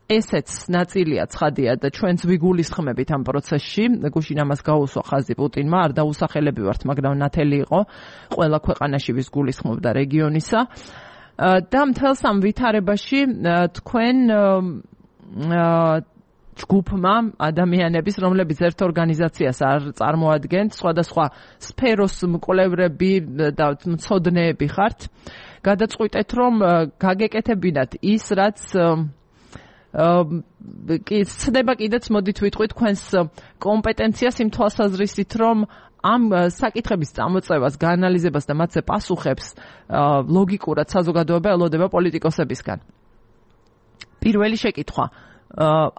Speaker 1: ესეც ნაწილია ცხადია და ჩვენც ვიგულისხმებით ამ პროცესში. გუშინ ამას გაუსვა ხაზი პუტინმა, არ დაუსახელები ვართ, მაგრამ ნათელი იყო ყველა ქვეყანაში ვის გულისხმობდა რეგიონისა. და მთელს ამ ვითარებაში თქვენ ჯგუფმა ადამიანების, რომლებიც ერთ ორგანიზაციას არ წარმოადგენთ, სხვადასხვა სფეროს მკვლევრები და მცოდნეები ხართ, გადაწყვიტეთ, რომ გაგეკეთებინათ ის, რაც ცდება კიდეც მოდით ვიტყვით თქვენს კომპეტენციას იმ თვალსაზრისით, რომ ამ საკითხების წამოწევას, გაანალიზებას და მათზე პასუხებს ლოგიკურად საზოგადოება ელოდება პოლიტიკოსებისგან. პირველი შეკითხვა,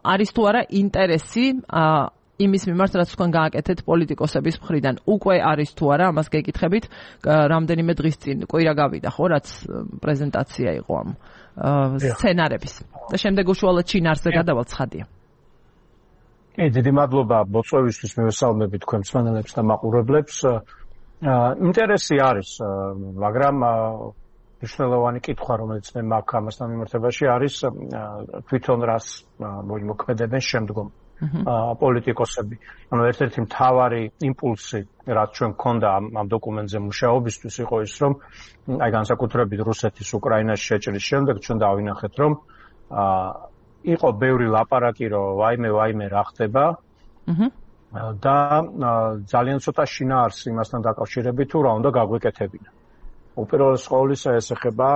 Speaker 1: არის თუ არა ინტერესი იმის მიმართ, რაც თქვენ გააკეთეთ პოლიტიკოსების მხრიდან, უკვე არის თუ არა, ამას გეკითხებით, რამდენიმე დღის წინ კვირა გავიდა, ხო, რაც პრეზენტაცია იყო ამ სცენარების. და შემდეგ უშუალოდ შინაარსზე გადავალთ, ცხადია.
Speaker 2: დიდი მადლობა მოწვევისთვის, მივესალმები თქვენ მსმენელებს და მაყურებლებს. ინტერესი არის, მაგრამ მნიშვნელოვანი კითხვა, რომელიც მე მაქვს ამასთან მიმართებაში, არის თვითონ რას მოქმედებენ შემდგომ პოლიტიკოსები. ანუ ერთ-ერთი მთავარი იმპულსი, რაც ჩვენ გქონდა ამ დოკუმენტზე მუშაობისთვის, იყო ის, რომ აი განსაკუთრებით რუსეთის უკრაინაში შეჭრის შემდეგ ჩვენ დავინახეთ, რომ იყო ბევრი ლაპარაკი, რომ ვაიმე რა ხდება და ძალიან ცოტა შინაარსი იმასთან დაკავშირებით, თუ რა უნდა გაგვეკეთებინა. უპირველეს ყოვლისა ეს ეხება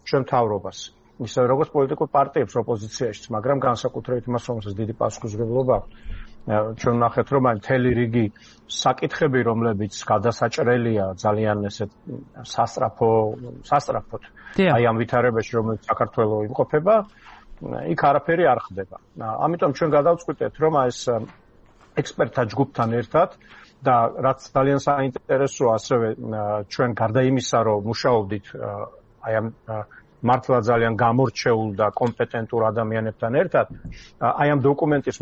Speaker 2: ჩვენ მთავრობას. ისე როგორც პოლიტიკურ პარტიებს ოპოზიციაშიც, მაგრამ განსაკუთრებით იმას, რომელსაც დიდი პასუხისმგებლობა აქვს. ჩვენ ვნახეთ, რომ აი მთელი რიგი საკითხები, რომლებიც გადასაჭრელია ძალიან ესეთ სასწრაფოდ აი ამ ვითარებაში, რომელიც საქართველოს იმყოფება, იქ არაფერი არ ხდება. ამიტომ ჩვენ გადავწყვიტეთ, რომ ეს ექსპერტთა ჯგუფთან ერთად და რაც ძალიან საინტერესოა, ასევე ჩვენ გარდა იმისა, რომ მუშაობდით აი ამ მართლა ძალიან გამორჩეულ და კომპეტენტურ ადამიანებთან ერთად, აი ამ დოკუმენტის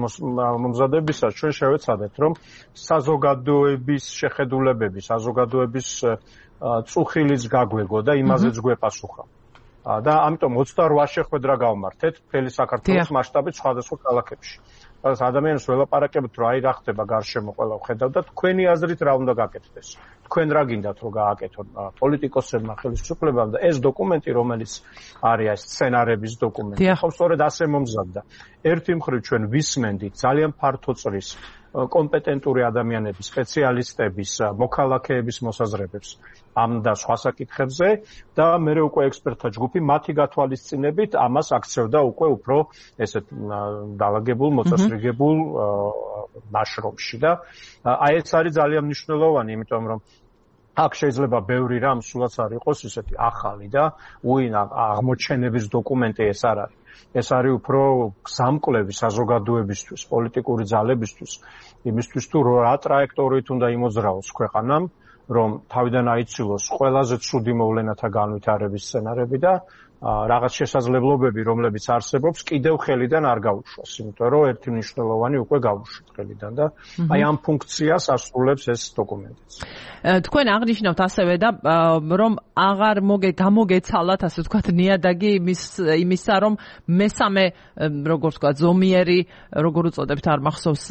Speaker 2: მომზადებისას ჩვენ შევეცადეთ, რომ საზოგადოების შეხედულებები, საზოგადოების წუხილიც გაგვეგო და იმაზეც გვეპასუხა. და ამიტომ 28 შეხვედრა გავმართეთ მთელი საქართველოს მასშტაბით სხვადასხვა ქალაქებში. სადაც ადამიანებს ველაპარაკებთ, რომ აი რა ხდება გარშემო, ყველა ხედავ და თქვენი აზრით რა უნდა გაკეთდეს. თქვენ რა გინდათ რომ გააკეთონ პოლიტიკოსებმა, ხელისუფლებამ და ეს დოკუმენტი, რომელიც არის ეს სცენარების დოკუმენტი, ხო სწორედ ასე მომზადდა. ერთი მხრივ ჩვენ ვისმენდით ძალიან ფართოწრის კომპეტენტური ადამიანების, სპეციალისტების, მოქალაქეების მოსაზრებებს ამ და სხვა საკითხებზე და მერე უკვე ექსპერტთა ჯგუფი მათი გათვალისწინებით ამას აქცევდა უკვე უფრო ესეთ დაალაგებულ, მოწესრიგებულ ნაშრომში და აი ეს არის ძალიან მნიშვნელოვანი, იმიტომ რომ აქ შეიძლება ბევრი რამ სულაც არ იყოს ისეთი ახალი და აღმოჩენების დოკუმენტი ეს არ არის. ეს არის უფრო გზამკვლევი საზოგადოებისთვის, პოლიტიკური ძალებისთვის, იმისთვის თუ რა ტრაექტორით უნდა იმოძრაოს ქვეყანამ, რომ თავიდან აიცილოს ყველაზე ცუდი მოვლენათა განვითარების სცენარები და რაღაც შესაძლებლობები, რომლებიც არსებობს, კიდევ ხელიდან არ გაუშვას, იმიტომ რომ ერთი მნიშვნელოვანი უკვე გაუშვით ხელიდან და აი ამ ფუნქციას ასრულებს ეს დოკუმენტიც.
Speaker 1: თქვენ აღნიშნავთ ასევე და რომ აღარ გამოგეცალათ, ასე ვთქვათ, ნიადაგი იმისა, რომ მესამე, როგორც ვთქვათ, ზომიერი, როგორ უწოდებთ, არ მახსოვს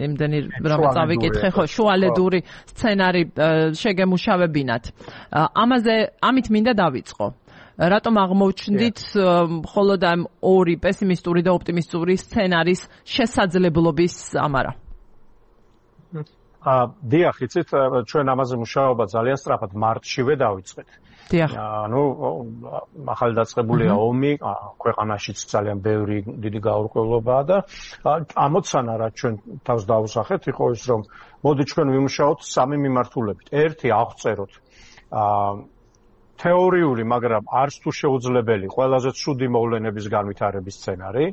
Speaker 1: იმდენი რამე წავიკითხე, ხო, შუალედური სცენარი შეგემუშავებინათ. ამით მინდა დავიწყო. რატომ აღმოჩნდით მხოლოდ ამ ორი პესიმისტური და ოპტიმისტური სცენარის შესაძლებლობის ამარა?
Speaker 2: დიახ, იცით, ჩვენ ამაზე მუშაობა ძალიან სწრაფად მარტშივე დავიწყეთ.
Speaker 1: დიახ.
Speaker 2: ახალი დაწყებულია ომი, ქვეყანაშიც ძალიან ბევრი დიდი გაურკვევლობაა და ამოცანა რა ჩვენ თავს დავუსახეთ, იყო ის, რომ მოდი ჩვენ ვიმუშაოთ სამი მიმართულებით. ერთი აღწეროთ თეორიული, მაგრამ არც თუ შეუძლებელი, ყველაზე ცუდი მოვლენების განვითარების სცენარი.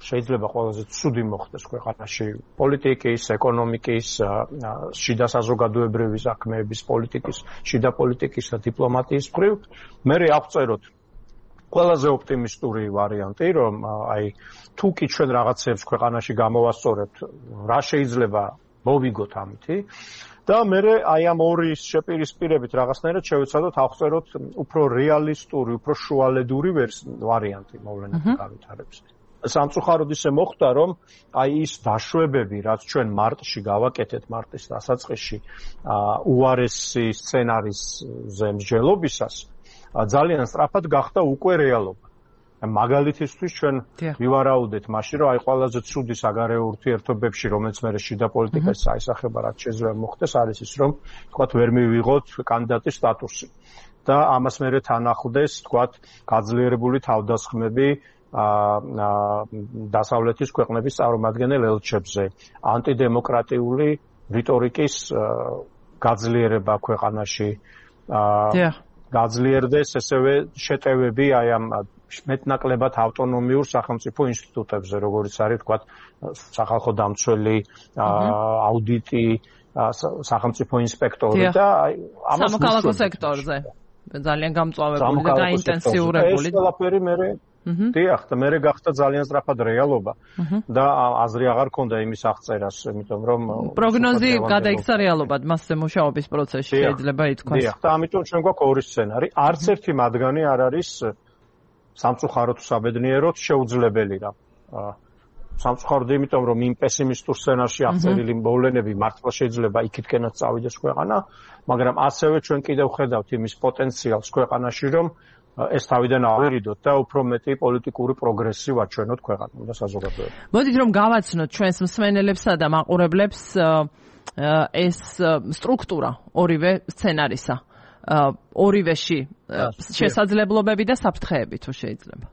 Speaker 2: შეიძლება ყველაზე ცუდი მოხდეს ქვეყანაში პოლიტიკის, ეკონომიკის, შიდა საზოგადოებრივი საქმეების, პოლიტიკის, შიდა პოლიტიკის და დიპლომატიის მხრივ. მერე აღწეროთ ყველაზე ოპტიმისტური ვარიანტი, რომ აი თუ კი ჩვენ რაღაცებს ქვეყანაში გამოვასწორებთ, რა შეიძლება მოვიგოთ ამითი. და მერე აი ამ ორი შეპირისპირებით რაღაცნაირად შევეცადოთ აღწეროთ უფრო რეალისტური, უფრო შუალედური ვარიანტი მოვლენების განვითარების. სამწუხაროდ ისე მოხდა, რომ აი ის დაშვებები, რაც ჩვენ მარტში გავაკეთეთ, მარტის დასაწყისში, უარესი სცენარისზე მსჯელობისას, ძალიან სწრაფად გახდა უკვე რეალობა. მაგალითისთვის ჩვენ ვივარაუდეთ მაშინ, რომ აი ყველაზე ცუდი საგარეო ურთიერთობებში, რომელიც მე შიდა პოლიტიკას აისახება, რაც შეიძლება მოხდეს, არის ის, რომ თქვათ ვერ მივიღოთ კანდიდატის სტატუსი. და ამას მერე თან ახლდეს, თქვათ, გაძლიერებული თავდასხმები დასავლეთის ქვეყნების წარმომადგენელ ელჩებზე, ანტიდემოკრატიული რიტორიკის გაძლიერება ქვეყანაში, გაძლიერდეს ესევე შეტევები აი ამ მეტნაკლებად ავტონომიურ სახელმწიფო ინსტიტუტებზე, როგორიც არის, თქვათ, სახალხო დამცველი, აუდიტი, სახელმწიფო ინსპექტორი და ამას
Speaker 1: სამოქალაქო სექტორზე ძალიან გამწვავებული და გაინტენსიურებული.
Speaker 2: ეს ყველაფერი მერე დიახ, და მერე გახდა ძალიან სწრაფად რეალობა და აზრი აღარ ქონდა იმის აღწერას, იმიტომ რომ
Speaker 1: პროგნოზი გადაიქცა რეალობად მასზე მუშაობის პროცესში შეიძლება ითქვას.
Speaker 2: დიახ, და ამიტომ ჩვენ გვაქვს ორი სცენარი. არც ერთი მათგანი არ არის სამწუხაროდ საბედნიეროდ შეუძლებელი რა. სამწუხაროდ იმიტომ, რომ იმ პესიმისტურ სცენარში აღწერილი მოვლენები მართლა შეიძლება იქითკენაც წავიდეს ქვეყანა, მაგრამ ასევე ჩვენ კიდევ ხედავთ იმის პოტენციალს ქვეყანაში, რომ ეს თავიდან ავერიდოთ და უფრო მეტი პოლიტიკური პროგრესი ვაჩვენოთ ქვეყანამ და საზოგადოებამ.
Speaker 1: მოდით რომ გავაცნოთ ჩვენს მსმენელებსა და მაყურებლებს ეს სტრუქტურა ორივე სცენარისა. ორივეში შესაძლებლობები და საფრთხეები თუ შეიძლება.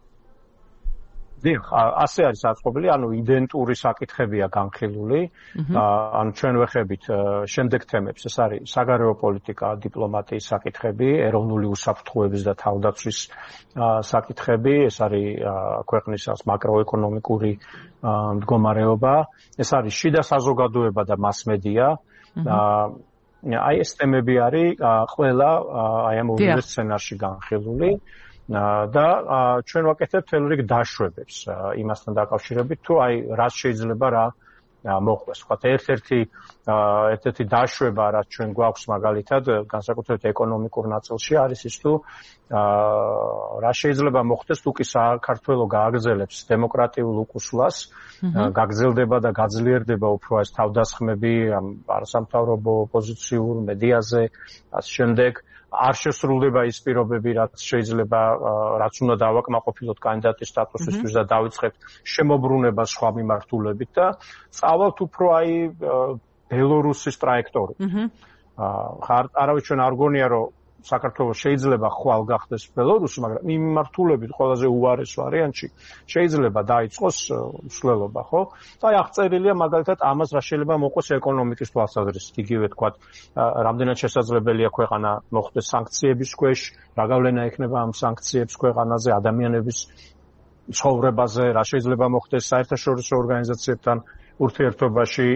Speaker 2: დიახ, ასე არის აწყობილი, ანუ იდენტური საკითხებია განხილული. ანუ ჩვენ ვეხებით შემდეგ თემებს, ეს არის საგარეო პოლიტიკა, დიპლომატიის საკითხები, ეროვნული უსაფრთხოების და თავდაცვის საკითხები, ეს არის ქვეყნის მაკროეკონომიკური მდგომარეობა, ეს არის შიდა საზოგადოება და მასმედია. აი ეს თემები არის ყველა აი ამ ორივე სცენარში განხილული. და ჩვენ ვაკეთებთ თელ რიგ დაშვებებს იმასთან დაკავშირებით, თუ აი რაც შეიძლება რა მოხდეს. ვთქვათ, ერთ-ერთი დაშვება, რაც ჩვენ გვაქვს მაგალითად, განსაკუთრებით ეკონომიკურ ნაწილში, არის ის, თუ რა შეიძლება მოხდეს, თუ კი საქართველო გააგრძელებს დემოკრატიულ უკუსლას, გაგრძელდება და გაძლიერდება უფრო ეს თავდასხმები არასამთავრობო ოპოზიციურ მედიაზე, ასე შემდეგ. არ შესრულდება ის პირობები, რაც შეიძლება, რაც უნდა დავაკმაყოფილოთ კანდიდატის სტატუსისთვის და დავიწყებთ შემოbrunებას სხვა მიმართულებით და წავალთ უფრო აი ბელორუსის ტრაექტორით. არავის ჩვენ არ გონია, რომ საქართველოს შეიძლება ხვალ გახდეს ბელორუსი, მაგრამ იმ მიმართულებით ყველაზე უარეს ვარიანტში შეიძლება დაიწყოს მსვლელობა, ხო? და აი აღწერილია მაგალითად ამას რა შეიძლება მოყოს ეკონომიკის თვალსაზრისით, იგივე თქვათ, რამდენად შესაძლებელია ქვეყანა მოხდეს სანქციების ქვეშ, რა გავლენა ექნება ამ სანქციებს ქვეყანაზე, ადამიანების ცხოვრებაზე, რა შეიძლება მოხდეს საერთაშორისო ორგანიზაციებთან ურთიერთობაში,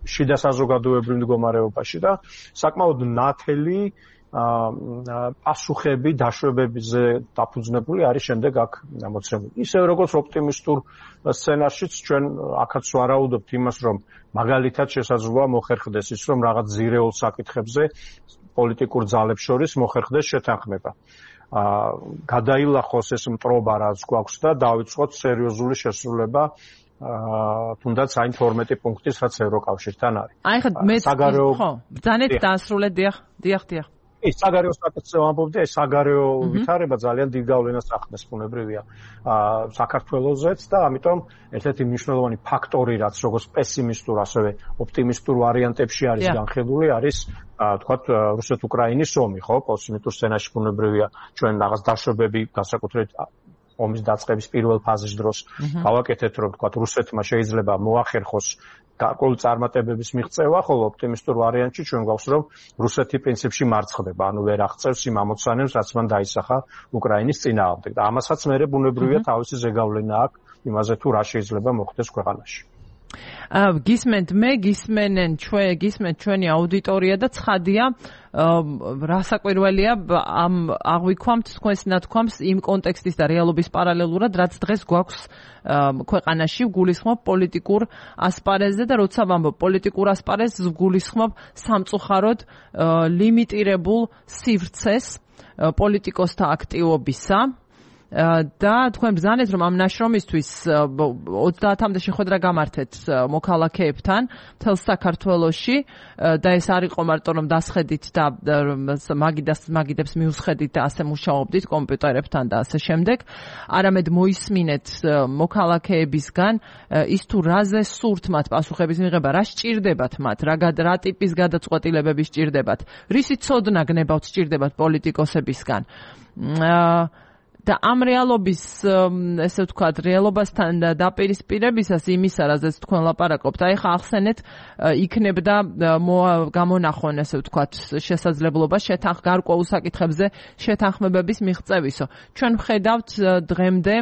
Speaker 2: შიდა საზოგადოებრივ მდგომარეობაში და საკმაოდ ნათელი პასუხები დაშვებებზე დაფუძნებული არის შემდეგ აქ მოცემული. ისევ როგორც ოპტიმისტურ სცენარშიც ჩვენ აქაც ვარაუდობთ იმას, რომ მაგალითად შესაძლოა მოხერხდეს ის, რომ რაღაც ძირეულ საკითხებზე პოლიტიკურ ძალებს შორის მოხერხდეს შეთანხმება. გადაილახოს ეს მტრობა რაც გვაქვს და დავიწყოთ სერიოზული შესრულება თუნდაც აი 12 პუნქტის რაც ევროკავშირთან არის.
Speaker 1: აი ხა მე ხო, ბრძანეთ დაასრულეთ, დიახ.
Speaker 2: საგარეო საკითხზე ვამბობდი, ეს საგარეო ვითარება ძალიან დიდ გავლენას ახდენს ბუნებრივია საქართველოსაც და ამიტომ ერთ-ერთი მნიშვნელოვანი ფაქტორი რაც როგორც პესიმისტურ ასევე ოპტიმისტურ ვარიანტებში არის განხილული არის თქვათ რუსეთ-უკრაინის ომი, ხო? პოსიმისტურ სცენარში ბუნებრივია ჩვენ რაღაც დაშვებები განსაკუთრებით ომის დაწყების პირველ ფაზის დროს გავაკეთეთ, რომ თქვათ რუსეთმა შეიძლება მოახერხოს გარკვეული წარმატებების მიღწევა, ხოლო ოპტიმისტურ ვარიანტში ჩვენ გვაქვს, რომ რუსეთი პრინციპში მარცხდება, ანუ ვერ აღწევს იმ ამოცანებს, რაც მან დაისახა უკრაინის წინააღმდეგ. და ამასაც მერე ბუნებრივია თავისი ზეგავლენა აქვს იმაზე თუ რა შეიძლება მოხდეს ქვეყანაში.
Speaker 1: გისმენთ ჩვენი აუდიტორია და ცხადია რასაკვირველია ამ აღვიქვამთ თქვენს ნათქვამს იმ კონტექსტის და რეალობის პარალელურად რაც დღეს გვაქვს ქვეყანაში გულისხმობ პოლიტიკურ ასპარეზზე და როცა ვამბობ პოლიტიკურ ასპარეზს გულისხმობ სამწუხაროდ ლიმიტირებულ სივრცეს პოლიტიკოსთა აქტივობისა და თქვენ ბრძანეთ რომ ამ ნაშრომისთვის 30-მდე შეხვედრა გამართეთ მოქალაქეებთან მთელ საქართველოში და ეს არ იყო მარტო რომ დასხედით და მაგიდებს მიუსხედით და ასე მუშაობდით კომპიუტერებთან და ასე შემდეგ არამედ მოისმინეთ მოქალაქეებისგან ის თუ რაზე სურთ მათ პასუხების მიღება რა სჭირდებათ მათ რა ტიპის გადაწყვეტილებები სჭირდებათ რისი ცოდნა გნებავთ სჭირდებათ პოლიტიკოსებისგან და ამ რეალობის ესე ვთქვათ რეალობასთან დაპირისპირებისას იმისა რაზეც თქვენ ლაპარაკობთ აი ხა ახსენეთ იქნებდა გამონახონ ესე ვთქვათ შესაძლებლობა გარკვეულ საკითხებზე შეთანხმებების მიღწევისო ჩვენ ვხედავთ დღემდე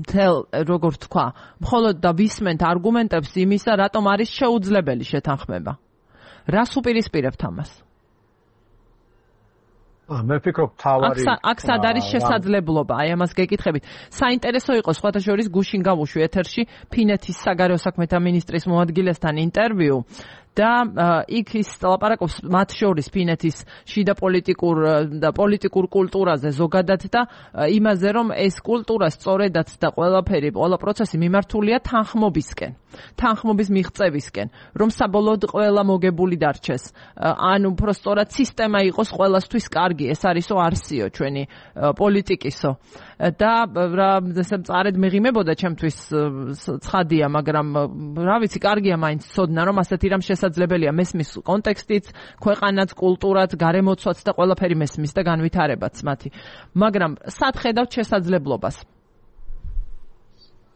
Speaker 1: მთელ როგორ თქვა მხოლოდ და ვისმენთ არგუმენტებს იმისა რატომ არის შეუძლებელი შეთანხმება რას უპირისპირებთ ამას
Speaker 2: მე ვფიქრობ თავარი
Speaker 1: აქ სად არის შესაძლებლობა აი ამას გეკითხებით საინტერესო იყო სხვათა შორის გუშინ გავუშვი ეთერში ფინეთის საგარეო საქმეთა მინისტრის მოადგილესთან ინტერვიუ და იქ ის ლაპარაკობს მათ შორის ფინეთის შიდა პოლიტიკურ კულტურაზე ზოგადად და იმაზე რომ ეს კულტურა სწორედაც და ყველა პროცესი მიმართულია თანხმობის მიღწევისკენ რომ საბოლოოდ ყველა მოგებული დარჩეს ან უფრო სწორად სისტემა იყოს ყველასთვის კარგი ეს არისო არსიო ჩვენი პოლიტიკისო და რა ესე მწარედ მეღიმებოდა ჩემთვის ცხადია მაგრამ რა ვიცი კარგია მაინც ცოდნა რომ ასეთი რამ შესაძლებელია მესმის კონტექსტიც ქვეყანაც კულტურაც გარემოცვაც და ყველაფერი მესმის და განვითარებაც მათი მაგრამ სად ხედავთ შესაძლებლობას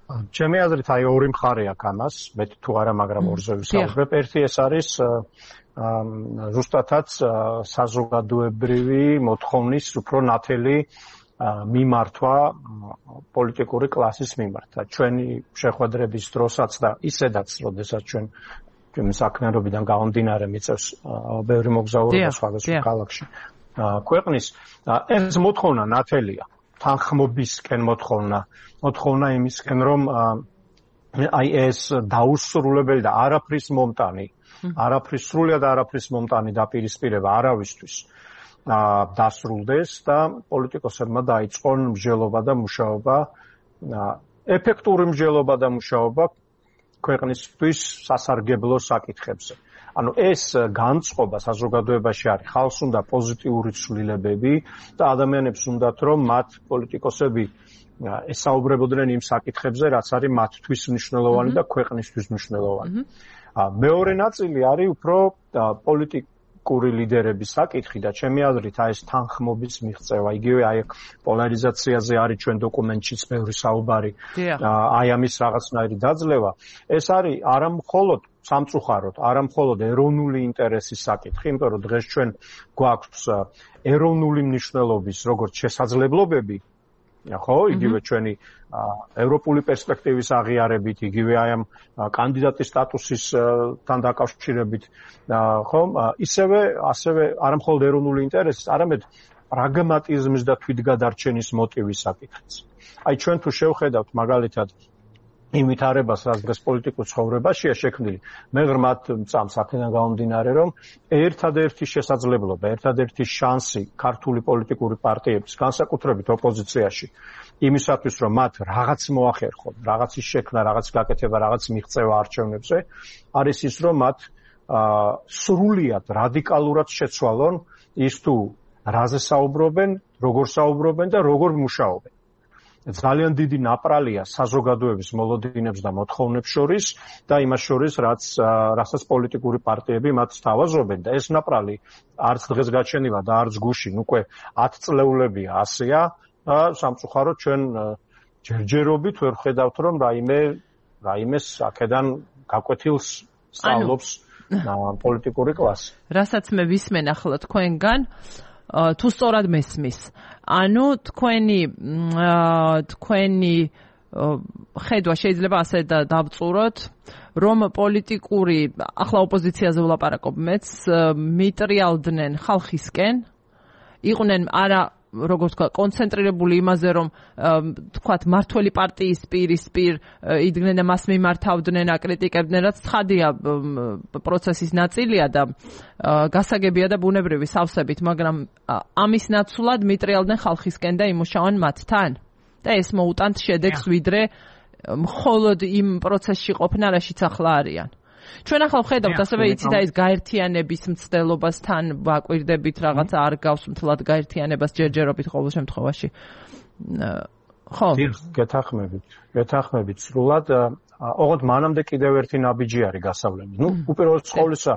Speaker 2: ჩემი აზრით აი ორი მხარე აქვს ამას მე თუ არა მაგრამ ორზე ვისაუბრებ ერთი ეს არის ზუსტადაც საზოგადოებრივი მოთხოვნის უფრო ნათელი მიმართვა პოლიტიკური კლასის მიმართ. ჩვენი შეხვედრების დროსაც და ისედაც, როდესაც ჩვენ საქმიანობიდან გამომდინარე მიწევს ბევრი მოგზაურობა სხვადასხვა ქალაქში ქვეყნის ეს მოთხოვნა ნათელია. თანხმობისკენ მოთხოვნა იმისკენ რომ აი ეს დაუსრულებელი და სრულიად არაფრის მომტანი დაპირისპირება არავისთვის დასრულდეს და პოლიტიკოსებმა დაიწყონ მსჯელობა და მუშაობა ეფექტური მსჯელობა და მუშაობა ქვეყნისთვის სასარგებლო საკითხებზე. ანუ ეს განწყობა საზოგადოებაში არის ხალხს უნდა პოზიტიური ცვლილებები და ადამიანებს უნდათ რომ მათ პოლიტიკოსები ესაუბრებოდნენ იმ საკითხებზე რაც არის მათთვის მნიშვნელოვანი და ქვეყნისთვის მნიშვნელოვანი. მეორე ნაწილი არის უფრო პოლიტიკური ლიდერების საკითხი და ჩემი აზრით აი ეს თანხმობის მიღწევა იგივე აი პოლარიზაციაზე არის ჩვენ დოკუმენტშიც ბევრი საუბარი აი ამის რაღაცნაირი დაძლევა ეს არის არა მხოლოდ სამწუხაროდ არა მხოლოდ ეროვნული ინტერესის საკითხი იმიტომ რომ დღეს ჩვენ გვაქვს ეროვნული მნიშვნელობის როგორც შესაძლებლობები ხო, იგივე ჩვენი ევროპული პერსპექტივის აღიარებით, იგივე აი ამ კანდიდატის სტატუსისთან დაკავშირებით, ხო, ასევე არა მხოლოდ ეროვნული ინტერესის, არამედ პრაგმატიზმის და თვითგადარჩენის მოტივის საკითხიც. აი ჩვენ თუ შევხედავთ მაგალითად იმ ვითარებას, რაც დღეს პოლიტიკურ ცხოვრებაშია შექმნილი, მე ღრმად მწამს აქედან გამომდინარე, რომ ერთადერთი შესაძლებლობა, ერთადერთი შანსი ქართული პოლიტიკური პარტიების, განსაკუთრებით ოპოზიციაში, იმისათვის, რომ მათ რაღაც მოახერხონ, რაღაცის შექმნა, რაღაც გაკეთება, რაღაც მიღწევა არჩევნებზე, არის ის, რომ მათ სრულიად რადიკალურად შეცვალონ ის თუ რაზე საუბრობენ, როგორ საუბრობენ და როგორ მუშაობენ. ძალიან დიდი ნაპრალია საზოგადოების მოლოდინებს და მოთხოვნებს შორის და იმას შორის, რასაც პოლიტიკური პარტიები მათ სთავაზობენ და ეს ნაპრალი არც დღეს გაჩენილა და არც გუშინ, უკვე 10 წლეულებია ასეა და სამწუხაროდ ჩვენ ჯერჯერობით ვერ ხედავთ, რომ რაიმეს აქედან გაკვეთილს სწავლობს პოლიტიკური კლასი.
Speaker 1: რასაც მე ვისმენ ახლა თქვენგან თუ სწორად მესმის. ანუ თქვენი ხედვა შეიძლება ასე დავწუროთ, რომ პოლიტიკური ახლა ოპოზიციაზე ვლაპარაკობ მეც, მიტრიალდნენ ხალხისკენ, იყვნენ არა როგორც თქვა, კონცენტრირებული იმაზე, რომ თქვათ მართველი პარტიის პირისპირ იდგნენ და მას მიმართავდნენ, აკრიტიკებდნენ, რაც ცხადია პროცესის ნაწილია და გასაგებია და ბუნებრივი სავსებით, მაგრამ ამის ნაცვლად მიტრიალდნენ ხალხისკენ და იმუშავან მათთან და ეს მოუტანთ შედეგს, ვიდრე მხოლოდ იმ პროცესში ყოფნა, რაშიც ახლა არიან. ჩვენ ახლა ვხედავთ ასევე იცი და ის გაერთიანების მცდელობასთან ვაკვირდებით, რაღაცა არ გავს მთლად გაერთიანებას ჯერჯერობით ყოველ შემთხვევაში. ხო.
Speaker 2: გეთახმებით სრულად. ოღონდ მანამდე კიდევ ერთი ნაბიჯი არის გასავლელი. უპირველეს ყოვლისა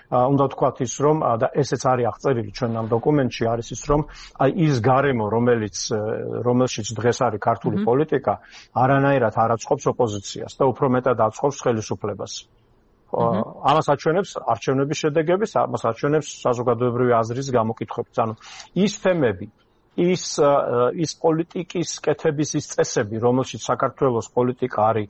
Speaker 2: უნდა ვთქვათ ის, რომ და ესეც არის აღწერილი ჩვენ ამ დოკუმენტში, არის ის, რომ აი ის გარემო, რომელშიც დღეს არის ქართული პოლიტიკა, არანაირად არ აწყობს ოპოზიციას და უფრო მეტად აწყობს ხელისუფლებას. ამას აჩვენებს არჩევნების შედეგები, ამას აჩვენებს საზოგადოებრივი აზრის გამოკითხვებიც. ანუ ის თემები, ის პოლიტიკის კეთების ის წესები, რომელშიც საქართველოს პოლიტიკა არის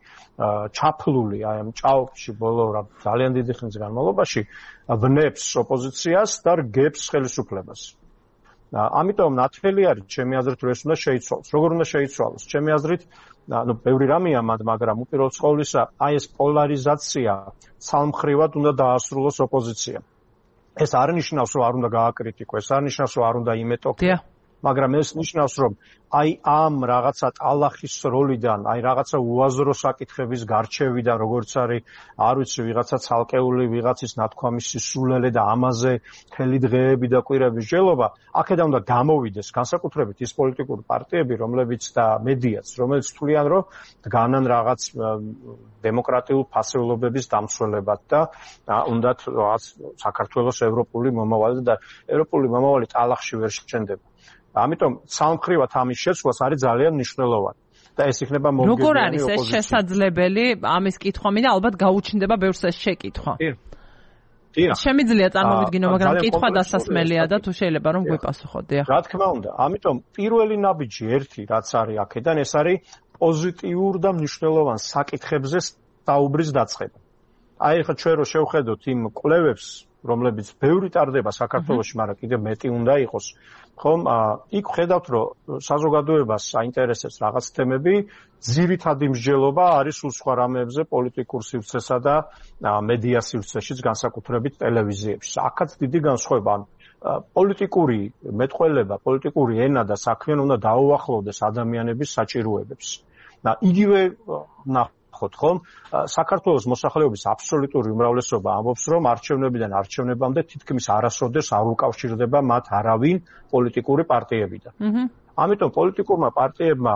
Speaker 2: ჩაფლული აი ამ ჭაობში ბოლო ძალიან დიდი ხნის განმავლობაში, ვნებს ოპოზიციას და რგებს ხელისუფლებას. ამიტომ ნათელი არის ჩემი აზრით, რომ ეს უნდა შეიცვალოს. როგორ უნდა შეიცვალოს? ჩემი აზრით, ბევრი რამეა მათ, მაგრამ უპირველეს ყოვლისა, აი ეს პოლარიზაცია ცალმხრივად უნდა დაასრულოს ოპოზიციამ. ეს არ ნიშნავს, რომ არ უნდა გააკრიტიკო, ეს არ ნიშნავს, რომ არ უნდა იმეტოქო. მაგრამ ეს ნიშნავს, რომ აი ამ რაღაცა ტალახის როლიდან, აი რაღაცა უაზრო საკითხების გარჩევიდან, როგორც არის, არ ვიცი, ვიღაცა ცალკეული ვიღაცის ნათქვამის სისულელე და ამაზე მთელი დღეები და კვირების ჯელობა, აქედან უნდა გამოვიდეს განსაკუთრებით ის პოლიტიკური პარტიები, რომლებიც და მედიაც, რომელიც თვლიან, რომ დგანან რაღაც დემოკრატიულ ფასეულობების დამცველებად და უნდათ რაღაც საქართველოს ევროპული მომავალი და ევროპული მომავალი ტალახში ვერ შენდება. ამიტომ სამხრივად ამის შეცვლას არის ძალიან მნიშვნელოვანი და ეს იქნება მომგებიანი ოპოზიცია. როგორ არის ეს
Speaker 1: შესაძლებელი? ამის კითხვა მინდა, ალბათ გაუჩნდება ბევრს ეს შეკითხვა. შემიძლია წარმოვიდგინო, მაგრამ კითხვა დასასმელია და თუ შეიძლება რომ გვიპასუხოთ.
Speaker 2: რა თქმა უნდა, ამიტომ პირველი ნაბიჯი ერთი რაც არის აქედან, ეს არის პოზიტიურ და მნიშვნელოვან საკითხებზე საუბრის დაწყება. აი ხა ჩვენ რო შევხედოთ იმ კვლევებს, რომლებიც ბევრი ტარდება საქართველოში, მაგრამ კიდევ მეტი უნდა იყოს. ხომ, იქ ხედავთ, რომ საზოგადოებას აინტერესებს რაღაც თემები, ძირითადი მსჯელობა არის სულ სხვა რამეებზე პოლიტიკურ სივრცესა და მედია სივრცეშიც, განსაკუთრებით ტელევიზიებში. აქაც დიდი განსხვავება, პოლიტიკური მეტყველება, პოლიტიკური ენა და საქმე უნდა დაუახლოვდეს ადამიანების საჭიროებებს. და იგივე ხომ, საქართველოს მოსახლეობის აბსოლუტური უმრავლესობა ამბობს, რომ არჩევნებიდან არჩევნებამდე თითქმის არასოდეს არ უკავშირდება მათ არავინ პოლიტიკური პარტიებიდან. ამიტომ პოლიტიკურმა პარტიებმა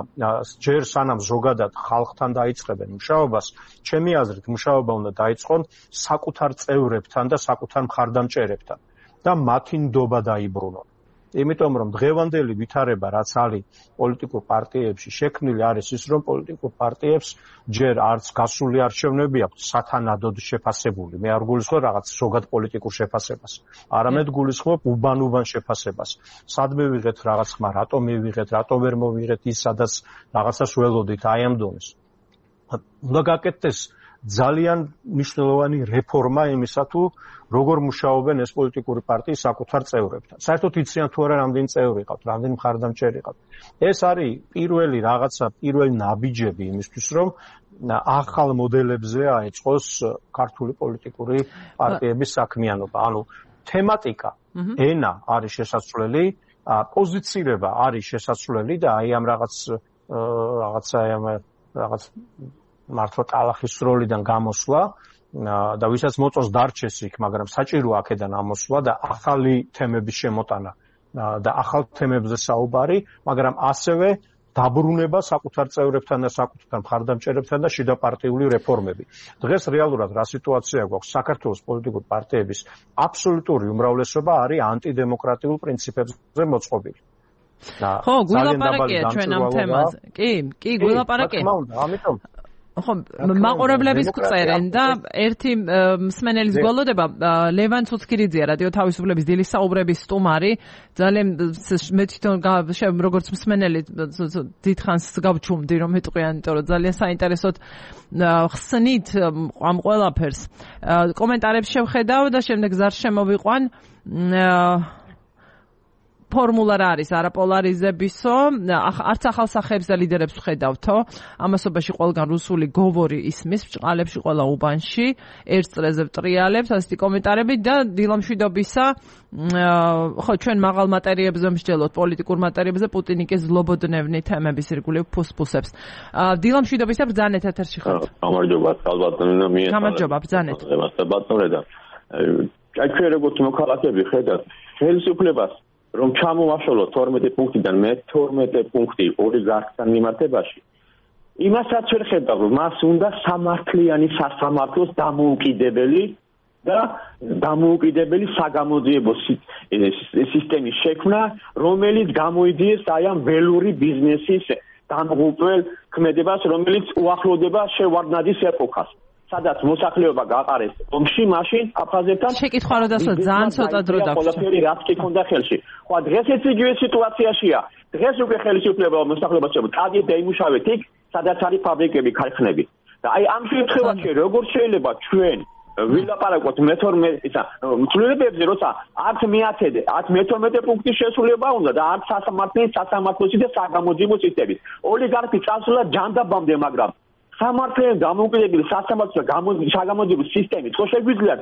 Speaker 2: ჯერ სანამ ზოგადად ხალხთან დაიწყებენ მუშაობას, ჩემი აზრით, მუშაობა უნდა დაიწყონ საკუთარ წევრებთან და საკუთარ მხარდამჭერებთან და მათი ნდობა დაიბრუნონ. იმიტომ რომ დღევანდელი ვითარება რაც არის პოლიტიკურ პარტიებში შექმნილი არის ის რომ პოლიტიკურ პარტიებს ჯერ არც გასული არჩევნები აქვს სათანადოდ შეფასებული. მე არ გულისხმობ რაღაც ზოგად პოლიტიკურ შეფასებას. არამედ გულისხმობ უბან შეფასებას. სადმე ვიღეთ რაღაც ხმა, რატომ მივიღეთ, რატომ ვერ მოვიღეთ ის სადაც რაღაცას ველოდით აი ამ დონეს. უნდა გაკეთდეს ძალიან მნიშვნელოვანი რეფორმა იმისა თუ როგორ მუშაობენ ეს პოლიტიკური პარტიის საკუთარ წევრებთან. საერთოდ იციან თუ არა რამდენი წევრი ყავთ, რამდენი მხარდამჭერი ყავთ. ეს არის პირველი ნაბიჯები იმისთვის, რომ ახალ მოდელებზე აეწყოს ქართული პოლიტიკური პარტიების საქმიანობა. ანუ თემატიკა, ენა არის შესაძლებელი, პოზიცირება არის შესაძლებელი და აი ამ რაღაც მართლა ტალახის როლიდან გამოსვლა და ვისაც მოწონს დარჩეს იქ, მაგრამ საჭირო აქედან ამოსვლა და ახალი თემების შემოტანა და ახალ თემებზე საუბარი, მაგრამ ასევე დაბრუნება საკუთარ წევრებთან და საკუთარ მხარდამჭერებთან და შიდა პარტიული რეფორმები. დღეს რეალურად რა სიტუაცია გვაქვს? საქართველოს პოლიტიკური პარტიების აბსოლუტური უმრავლესობა არის ანტიდემოკრატიულ პრინციპებზე მოწყობილი.
Speaker 1: ხო, გულაპარაკია ჩვენ ამ თემაზე. კი, გულაპარაკია.
Speaker 2: ამიტომ
Speaker 1: ხო, მაყურებლების წერენ და ერთი მსმენელის გვალოდება ლევან ცუცქირიძეა რადიო თავისუფლების დილის საუბრების სტუმარი. ძალიან მე თვითონ როგორც მსმენელი დიდხანს გავჩუმდი რომ ეტყვიან, იმიტომ რომ ძალიან საინტერესოდ ხსნით ამ ყველაფერს. კომენტარებს შევხედავ და შემდეგ ზარს შემოვიყვან. ფორმულა რა არის არაპოლარიზებისო, არც ახალ სახეებს და ლიდერებს ვხედავთო, ამასობაში ყველგან რუსული გოვორი ისმის, ბჭყალებში ყველა უბანში, ერთ წრეზე ვტრიალებს, ასეთი კომენტარები და დილამშვიდობისა, ხო, ჩვენ მაღალ მატერიებზე მსჯელოთ, პოლიტიკურ მატერიებზე, პუტინი კი ზლობოდნევნი თემების ირგვლივ ფუსფუსებს. დილამშვიდობისა ბრძანეთ ეთერში ხართ.
Speaker 3: გამარჯობა, ალბათნო მიესალმებით.
Speaker 1: გამარჯობა, ბრძანეთ.
Speaker 3: აი ჩვენ როგორც მოქალაქეები ხედავთ ხელისუფლებას რომ ჩამოვაშალოთ 12 პუნქტიდან მე-12 პუნქტი ოლიგარქთან მიმართებაში. იმასაც ვერ ხედავ, რომ მას უნდა სამართლიანი სასამართლოს დამოუკიდებელი საგამოძიებო სისტემის შექმნა, რომელიც გამოიძიეს აი ამ ველური ბიზნესის დამღუპველ ქმედებას, რომელიც უახლოვდება შევარდნაძის ეპოქას. სადაც მოსახლეობა გაყარეს ომში, მაშინ აფხაზებთან
Speaker 1: შეკითხვა რო დასვა ძალიან ცოტა დრო დაგვჭირდა.
Speaker 3: ყველაფერი რაც კი ქონდა ხელში. ხო, დღესაც იგივე სიტუაციაშია. დღეს უკვე ხელისუფლება მოსახლეობას შეუძლებს წადით და იმუშავეთ იქ, სადაც არის ფაბრიკები, ქარხნები. და აი ამ შემთხვევაში როგორ შეიძლება ჩვენ ვილაპარაკოთ მცვლელებებზე, როცა არც მე-12 პუნქტის შესრულება უნდა და არც სასამართლოსი და საგამოძიებო სისტემის. ოლიგარქი წასულა ჯანდაბამდე, მაგრამ სამართლიანი დამოუკიდებელი სასამართლო და საგამოძიებო სისტემით ხო შეგვიძლიათ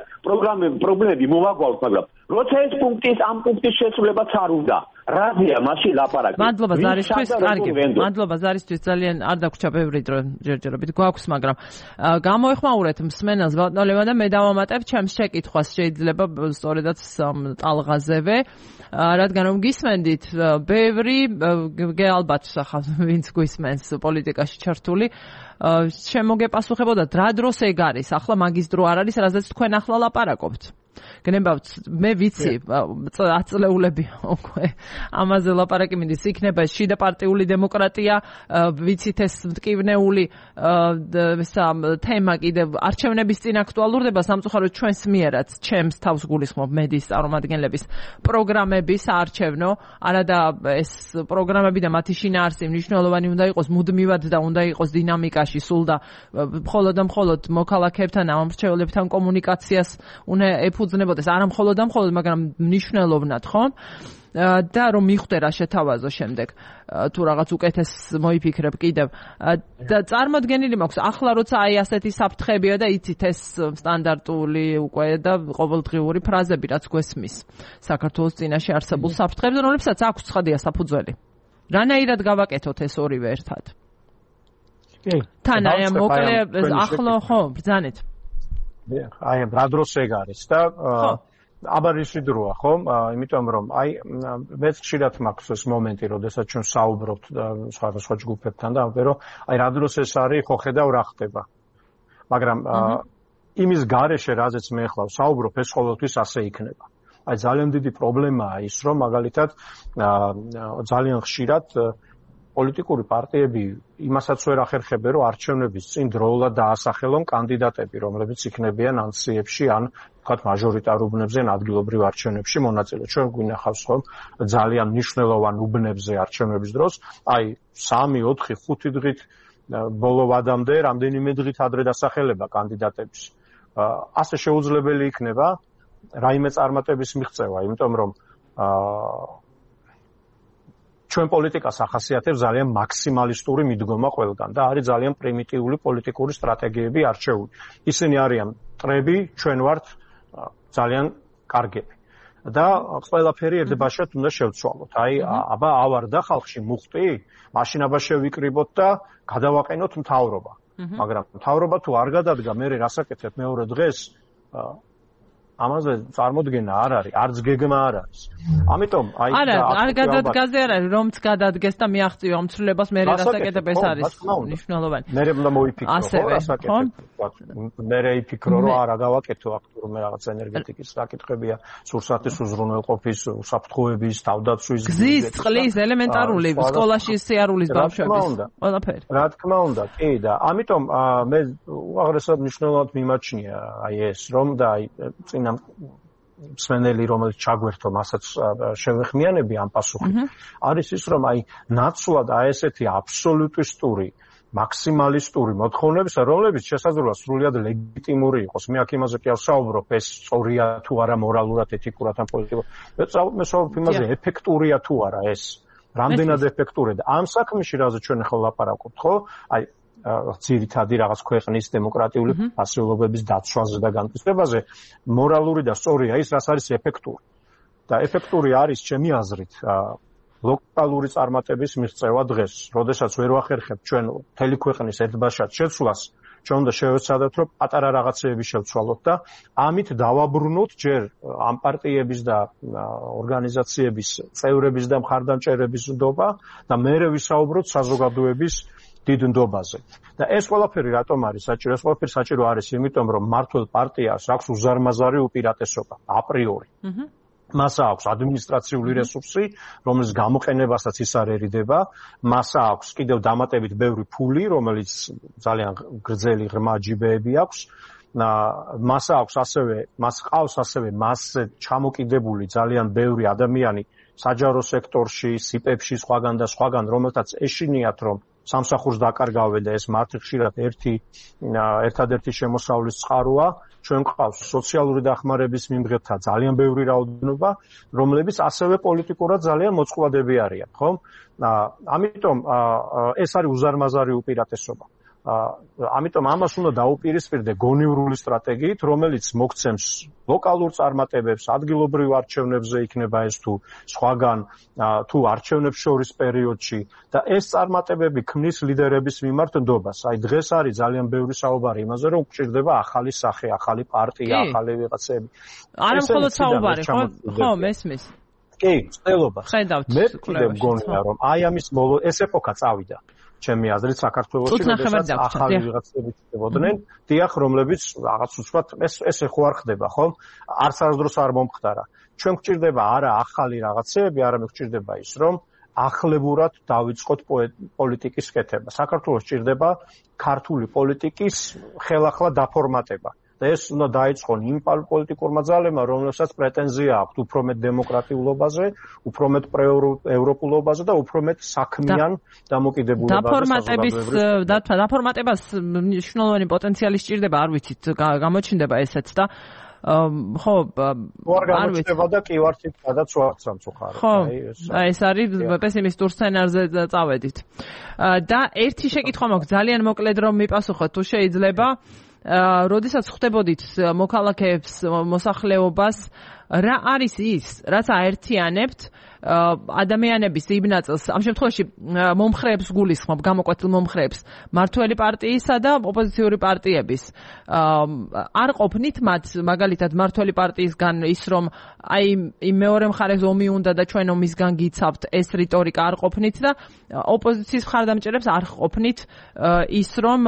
Speaker 3: პრობლემები მოვაგვალოთ, მაგრამ როცა ეს ამ პუნქტის შესრულებაც არ უნდა, რაზეა მაშინ ლაპარაკი?
Speaker 1: მადლობა ზარისთვის, კარგი. მადლობა ზარისთვის, ძალიან არ დაგვრჩა ბევრი დრო ჯერჯერობით გვაქვს, მაგრამ გამოეხმაურეთ მსმენელს ბატონო და მე დავამატებ ჩემს შეკითხვას, შეიძლება სწორედაც ტალღაზევე, რადგან რომ გისმენდით ბევრი ალბათ სახავ ვინც გვისმენს პოლიტიკაში ჩართული შემოგეპასუხებოდა რა დროს ეგ არის, ახლა მაგის დრო არ არის, რაზეც თქვენ ახლა ლაპარაკობთ. გნებავთ, მე ვიცი, აწლეულები უკვე ამაზე ლაპარაკი მინდის, იქნება შიდა პარტიული დემოკრატია, ვიცით ეს მტკივნეული თემა კიდევ არჩევნების წინ აქტუალურდება, სამწუხაროდ ჩვენს მიერაც, ჩემს თავს გულისხმობ მედიის წარმომადგენლების პროგრამები საარჩევნო, არადა ეს პროგრამები და მათი შინაარსი მნიშვნელოვანი უნდა იყოს მუდმივად და უნდა იყოს დინამიკაში სულ და მხოლოდ მოქალაქეებთან, ამომრჩეველებთან კომუნიკაციას უნდა ეფუძნებოდეს, არა მხოლოდ, მაგრამ მნიშვნელოვნად, ხო? და რომ მიხვდე რა შეთავაზო შემდეგ, თუ რაღაც უკეთეს მოიფიქრებ კიდევ. და წარმოდგენილი მაქვს, ახლა როცა აი ასეთი საფრთხებია და იცით ეს სტანდარტული უკვე და ყოველდღიური ფრაზები, რაც გვესმის საქართველოს წინაშე არსებულ საფრთხებზე, რომლებსაც აქვს ცხადია საფუძველი. რანაირად გავაკეთოთ ეს ორივე ერთად? თან აი მოკლე ახლო ხო ბრძანეთ.
Speaker 2: აი რა დროს ეგ არის და აბარისი დროა, ხო? იმიტომ რომ აი მეც ხშირად მაქვს ეს მომენტი, როდესაც ჩვენ საუბრობთ სხვადასხვა ჯგუფებთან და ამბობ, რომ აი რა დროს ეს არის, ხო ხედავ რა ხდება. მაგრამ იმის გარეშე, რაზეც მე ახლა საუბრობ, ეს ყოველთვის ასე იქნება. აი ძალიან დიდი პრობლემაა ის, რომ მაგალითად ძალიან ხშირად პოლიტიკური პარტიები იმასაც ვერ ახერხებენ, რომ არჩევნების წინ დროულად დაასახელონ კანდიდატები, რომლებიც იქნებიან ანქციებში ან ვთქვათ მაჟორიტარ უბნებზე, ადგილობრივ არჩევნებში მონაწილე. ჩვენ გვინახავს ხომ ძალიან მნიშვნელოვან უბნებზე არჩევნების დროს, აი 3, 4, 5 დღით ბოლო ვადამდე რამდენიმე დღით ადრე დასახელება კანდიდატების. ასე შეუძლებელი იქნება რაიმე წარმატების მიღწევა, იმიტომ რომ ჩვენ პოლიტიკას ახასიათებს ძალიან მაქსიმალისტური მიდგომა ყველგან და არის ძალიან პრიმიტიული პოლიტიკური სტრატეგიები არჩეული. ისინი არიან მტრები, ჩვენ ვართ ძალიან კარგები. და ყველაფერი ერთბაშად უნდა შევცვალოთ. აი, აბა ავარდა ხალხში მუხტი, მაშინ აბა შევიკრიბოთ და გადავაყენოთ მთავრობა. მაგრამ მთავრობა თუ არ გადადგა, მე რასაკეთებ მეორე დღეს? ამაზე წარმოდგენა არ არის, არც გეგმა არ არის. ამიტომ აი
Speaker 1: არ გადადგაზე არ არის, რომც გადადგეს და მიაღწიო ამ ცვლილებას, მე რასაკეთებ ეს არის მნიშვნელოვანი.
Speaker 2: მე უნდა მოიფიქრო, ხო, რასაკეთებ. მე იფიქრო, რომ არა გავაკეთო აქ თურმე რაღაც ენერგეტიკის საკითხებია, სურსათის უზრუნველყოფის, უსაფრთხოების, თავდაცვის,
Speaker 1: გზის, წყლის, ელემენტარული, სკოლაში სიარულის ბავშვების, ყველაფერი.
Speaker 2: რა თქმა უნდა, კი და ამიტომ მე უაღრესად მნიშვნელოვნად მიმაჩნია აი ეს, რომ და აი წინა მსმენელი რომელიც ჩაგვერთო მასაც შევეხმიანები ამ პასუხით არის ის რომ აი ნაცვლად აი ესეთი აბსოლუტისტური მაქსიმალისტური მოთხოვნების რომლებიც შესაძლოა სრულიად ლეგიტიმური იყოს მე აქ იმაზე კი არ ვსაუბრობ ეს სწორია თუ არა მორალურად ეთიკურად ან პოლიტიკურად მე ვსაუბრობ იმაზე ეფექტურია თუ არა ეს რამდენად ეფექტურია და ამ საქმეში რაზე ჩვენ ახლა ლაპარაკობთ ხო აი ძირითადი რაღაც ქვეყნის დემოკრატიული ფასეულობების დაცვაზე და განმტკიცებაზე მორალური და სწორია ის რაც არის ეფექტური და ეფექტური არის ჩემი აზრით ლოკალური წარმატების მიღწევა დღეს როდესაც ვერ ვახერხებთ ჩვენ მთელი ქვეყნის ერთბაშად შეცვლას ჩვენ უნდა შევეცადოთ რომ პატარა რაღაცეები შევცვალოთ და ამით დავაბრუნოთ ჯერ ამ პარტიების და ორგანიზაციების წევრების და მხარდამჭერების ნდობა და მერე ვისაუბროთ საზოგადოების დიდ ნდობაზე. და ეს ყველაფერი რატომ არის საჭირო? ეს ყველაფერი საჭირო არის იმიტომ, რომ მმართველ პარტიას აქვს უზარმაზარი უპირატესობა, აპრიორი. მას აქვს ადმინისტრაციული რესურსი, რომლის გამოყენებასაც ის არერიდება, მას აქვს კიდევ დამატებით ბევრი ფული, რომელიც ძალიან გრძელი ღრმა ჯიბეები აქვს. მას აქვს მას ყავს ასევე მასზე ჩამოკიდებული ძალიან ბევრი ადამიანი საჯარო სექტორში, სიპებში, სხვაგან და სხვაგან, რომელთაც ეშინიათ, რომ სამსახურს დაკარგავენ და ეს მათი ხშირად ერთადერთი შემოსავლის წყაროა. ჩვენ ყავს სოციალური დახმარების მიმღებთა ძალიან ბევრი რაოდენობა, რომლებიც ასევე პოლიტიკურად ძალიან მოწყვლადები არიან, ხო? ამიტომ ეს არის უზარმაზარი უპირატესობა. ამიტომ ამას უნდა დაუპირისპირდე გონივრული სტრატეგიით, რომელიც მოგცემს ლოკალურ წარმატებებს, ადგილობრივ არჩევნებზე იქნება ეს თუ სხვაგან თუ არჩევნებს შორის პერიოდში და ეს წარმატებები ქმნის ლიდერების მიმართ ნდობას. აი დღეს არის ძალიან ბევრი საუბარი იმაზე, რომ გვჭირდება ახალი სახე, ახალი პარტია, ახალი ვიღაცები.
Speaker 1: არა მხოლოდ საუბარი, ხო, მესმის.
Speaker 2: კი, ცდილობა. მე კიდევ მგონია, რომ აი ამის ეს ეპოქა წავიდა. ჩემი აზრით საქართველოში როდესაც ახალი ვიღაცები ხდებოდნენ, დიახ, რომლებიც რაღაც უცბად ეს ხო არ ხდება, ხო? არც არასდროს არ მომხდარა. ჩვენ გვჭირდება არა ახალი რაღაცეები, არამედ გვჭირდება ის, რომ ახლებურად დავიწყოთ პოლიტიკის კეთება. საქართველოს ჭირდება ქართული პოლიტიკის ხელახლა დაფორმატება. და ეს უნდა დაიწყონ იმ პოლიტიკურმა ძალებმა, რომლებსაც პრეტენზია აქვს უფრო მეტ დემოკრატიულობაზე, უფრო მეტ ევროპულობაზე და უფრო მეტ საქმიან დამოკიდებულებაზე.
Speaker 1: დაფორმატებას მნიშვნელოვანი პოტენციალი სჭირდება, არ ვიცით, გამოჩნდება ესეც და ხო,
Speaker 2: არ ვიცით და კი ვართ იქ სადაც ვართ სამწუხაროდ.
Speaker 1: ხო, ეს არის პესიმისტურ სცენარზე წავედით. და ერთი შეკითხვა მაქვს, ძალიან მოკლედ რომ მიპასუხოთ, თუ შეიძლება როდესაც ხვდებოდით მოქალაქეებს, მოსახლეობას, რა არის ის, რაც აერთიანებთ ადამიანების იმ ნაწილს, ამ შემთხვევაში მომხრეებს გულისხმობ, გამოკვეთილ მომხრეებს, მართველი პარტიისა და ოპოზიციური პარტიების. არ ყოფნით მათ, მაგალითად, მართველი პარტიისგან ის, რომ აი იმ მეორე მხარეს ომი უნდა და ჩვენ ომისგან გიცავთ, ეს რიტორიკა არ ყოფნით და ოპოზიციის მხარდამჭერებს არ ყოფნით ის, რომ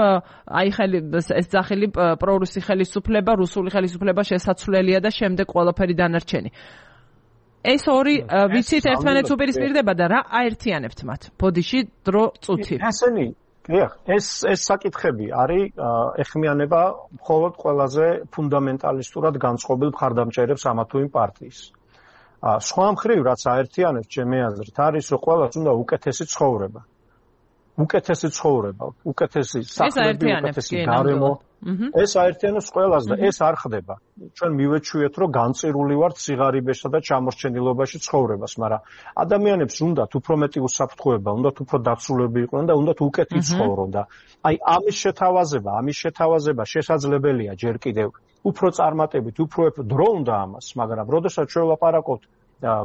Speaker 1: აი ეს ძახილი პრორუსი ხელისუფლება, რუსული ხელისუფლება შესაძლებელია და შემდეგ ყველაფერი დანარჩენი. ეს ორი ვიცით ერთმანეთს უპირისპირდება და რა აერთიანებთ მათ? ბოდიში დრო წუთი.
Speaker 2: ესენი ეს საკითხები არის ეხმიანება მხოლოდ ყველაზე ფუნდამენტალისტურად განწყობილ მხარდამჭერებს ამა თუ იმ პარტიის. სხვა მხრივ რაც აერთიანებს ჩემი აზრით არის რომ ყველას უნდა უკეთესი ცხოვრება. უკეთესი ცხოვრება, უკეთესი სახლები, უკეთესი გარემო. ეს აერთიანებს ყველას და ეს არ ხდება. ჩვენ მივეჩვიეთ რომ განწირული ვართ სიღარიბესა და ჩამორჩენილობაში ცხოვრებას, მაგრამ ადამიანებს უნდათ უფრო მეტი უსაფრთხოება, უნდათ უფრო დაცულები იყვნენ და უნდათ უკეთი ცხოვრონ და აი ამის შეთავაზება შესაძლებელია ჯერ კიდევ უფრო წარმატებით, უფრო დრო უნდა ამას, მაგრამ როდესაც ჩვენ ვლაპარაკობთ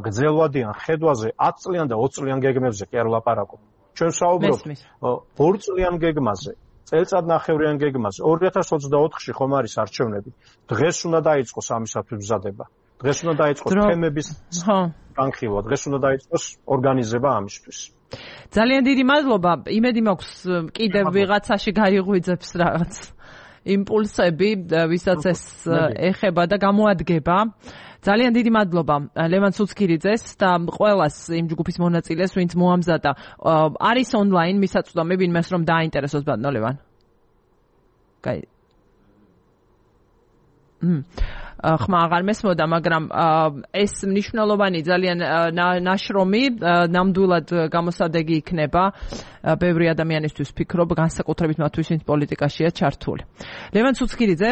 Speaker 2: გრძელვადიან ხედვაზე 10 წლიან და 20 წლიან გეგმებზე კი არ ვლაპარაკობთ. ჩვენ საუბრობთ 2 წლიან გეგმაზე, წელწადნახევრიან გეგმაზე. 2024-ში ხომ არის არჩევნები. დღეს უნდა დაიწყოს ამისათვის მზადება. დღეს უნდა დაიწყოს თემების განხილვა, დღეს უნდა დაიწყოს ორგანიზება ამისთვის.
Speaker 1: ძალიან დიდი მადლობა. იმედი მაქვს კიდევ ვიღაცაში გაიღვიძებს რაღაც იმპულსები, ვისაც ეს ეხება და გამოადგება. ძალიან დიდი მადლობა ლევან ცუცქირიძეს და ყველას იმ ჯგუფის მონაწილეს, ვინც მოამზადა. არის ონლაინ მისაწვდომი ვინმეს რომ დააინტერესოს ბატონო ლევან. კაი. ხმა აღარ მესმოდა, მაგრამ ეს მნიშვნელოვანი ძალიან ნაშრომი ნამდვილად გამოსადეგი იქნება ბევრი ადამიანისთვის ვფიქრობ, განსაკუთრებით მათთვის, ვინც პოლიტიკაშია ჩართული. ლევან ცუცქირიძე,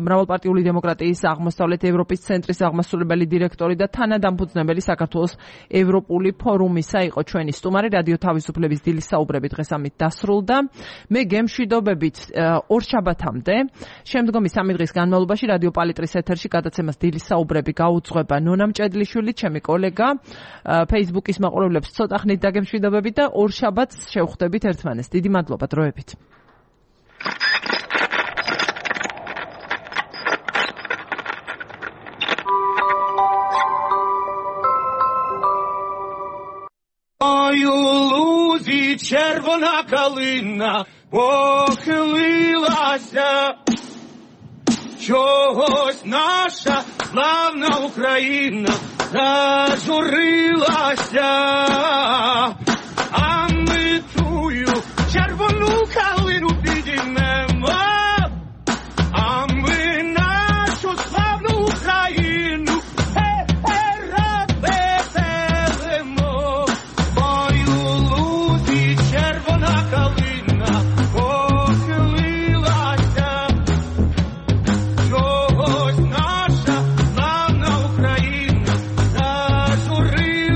Speaker 1: მრავალპარტიული დემოკრატიის აღმოსავლეთ ევროპის ცენტრის აღმასრულებელი დირექტორი და თანადამფუძნებელი საქართველოს ევროპული ფორუმისა იყო ჩვენი სტუმარი. რადიო თავისუფლების დილის საუბრები დღეს ამით დასრულდა. მე გემშვიდობებით ორშაბათამდე, შემდგომი 3 დღის განმავლობაში რადიო პალიტრის ეთერში გადაცემას დილის საუბრები გაუძღვება ნონა მჭედლიშვილი, ჩემი კოლეგა. Facebook-ის მაყურებლებს ცოტა ხნით დაგემშვიდობებით და ორშაბათს შევხვდებით ერთმანეს. დიდი მადლობა დროებით.
Speaker 4: Ой, лузі червона калина похилилася, чогось наша славна Україна зажурилася, а ми тую червону калину підіймемо, а ми нашу славну Україну рад веселимо. Ой, у лузі червона калина похилилася, чогось наша славна Україна зажурилася,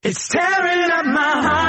Speaker 4: It's tearing up my heart.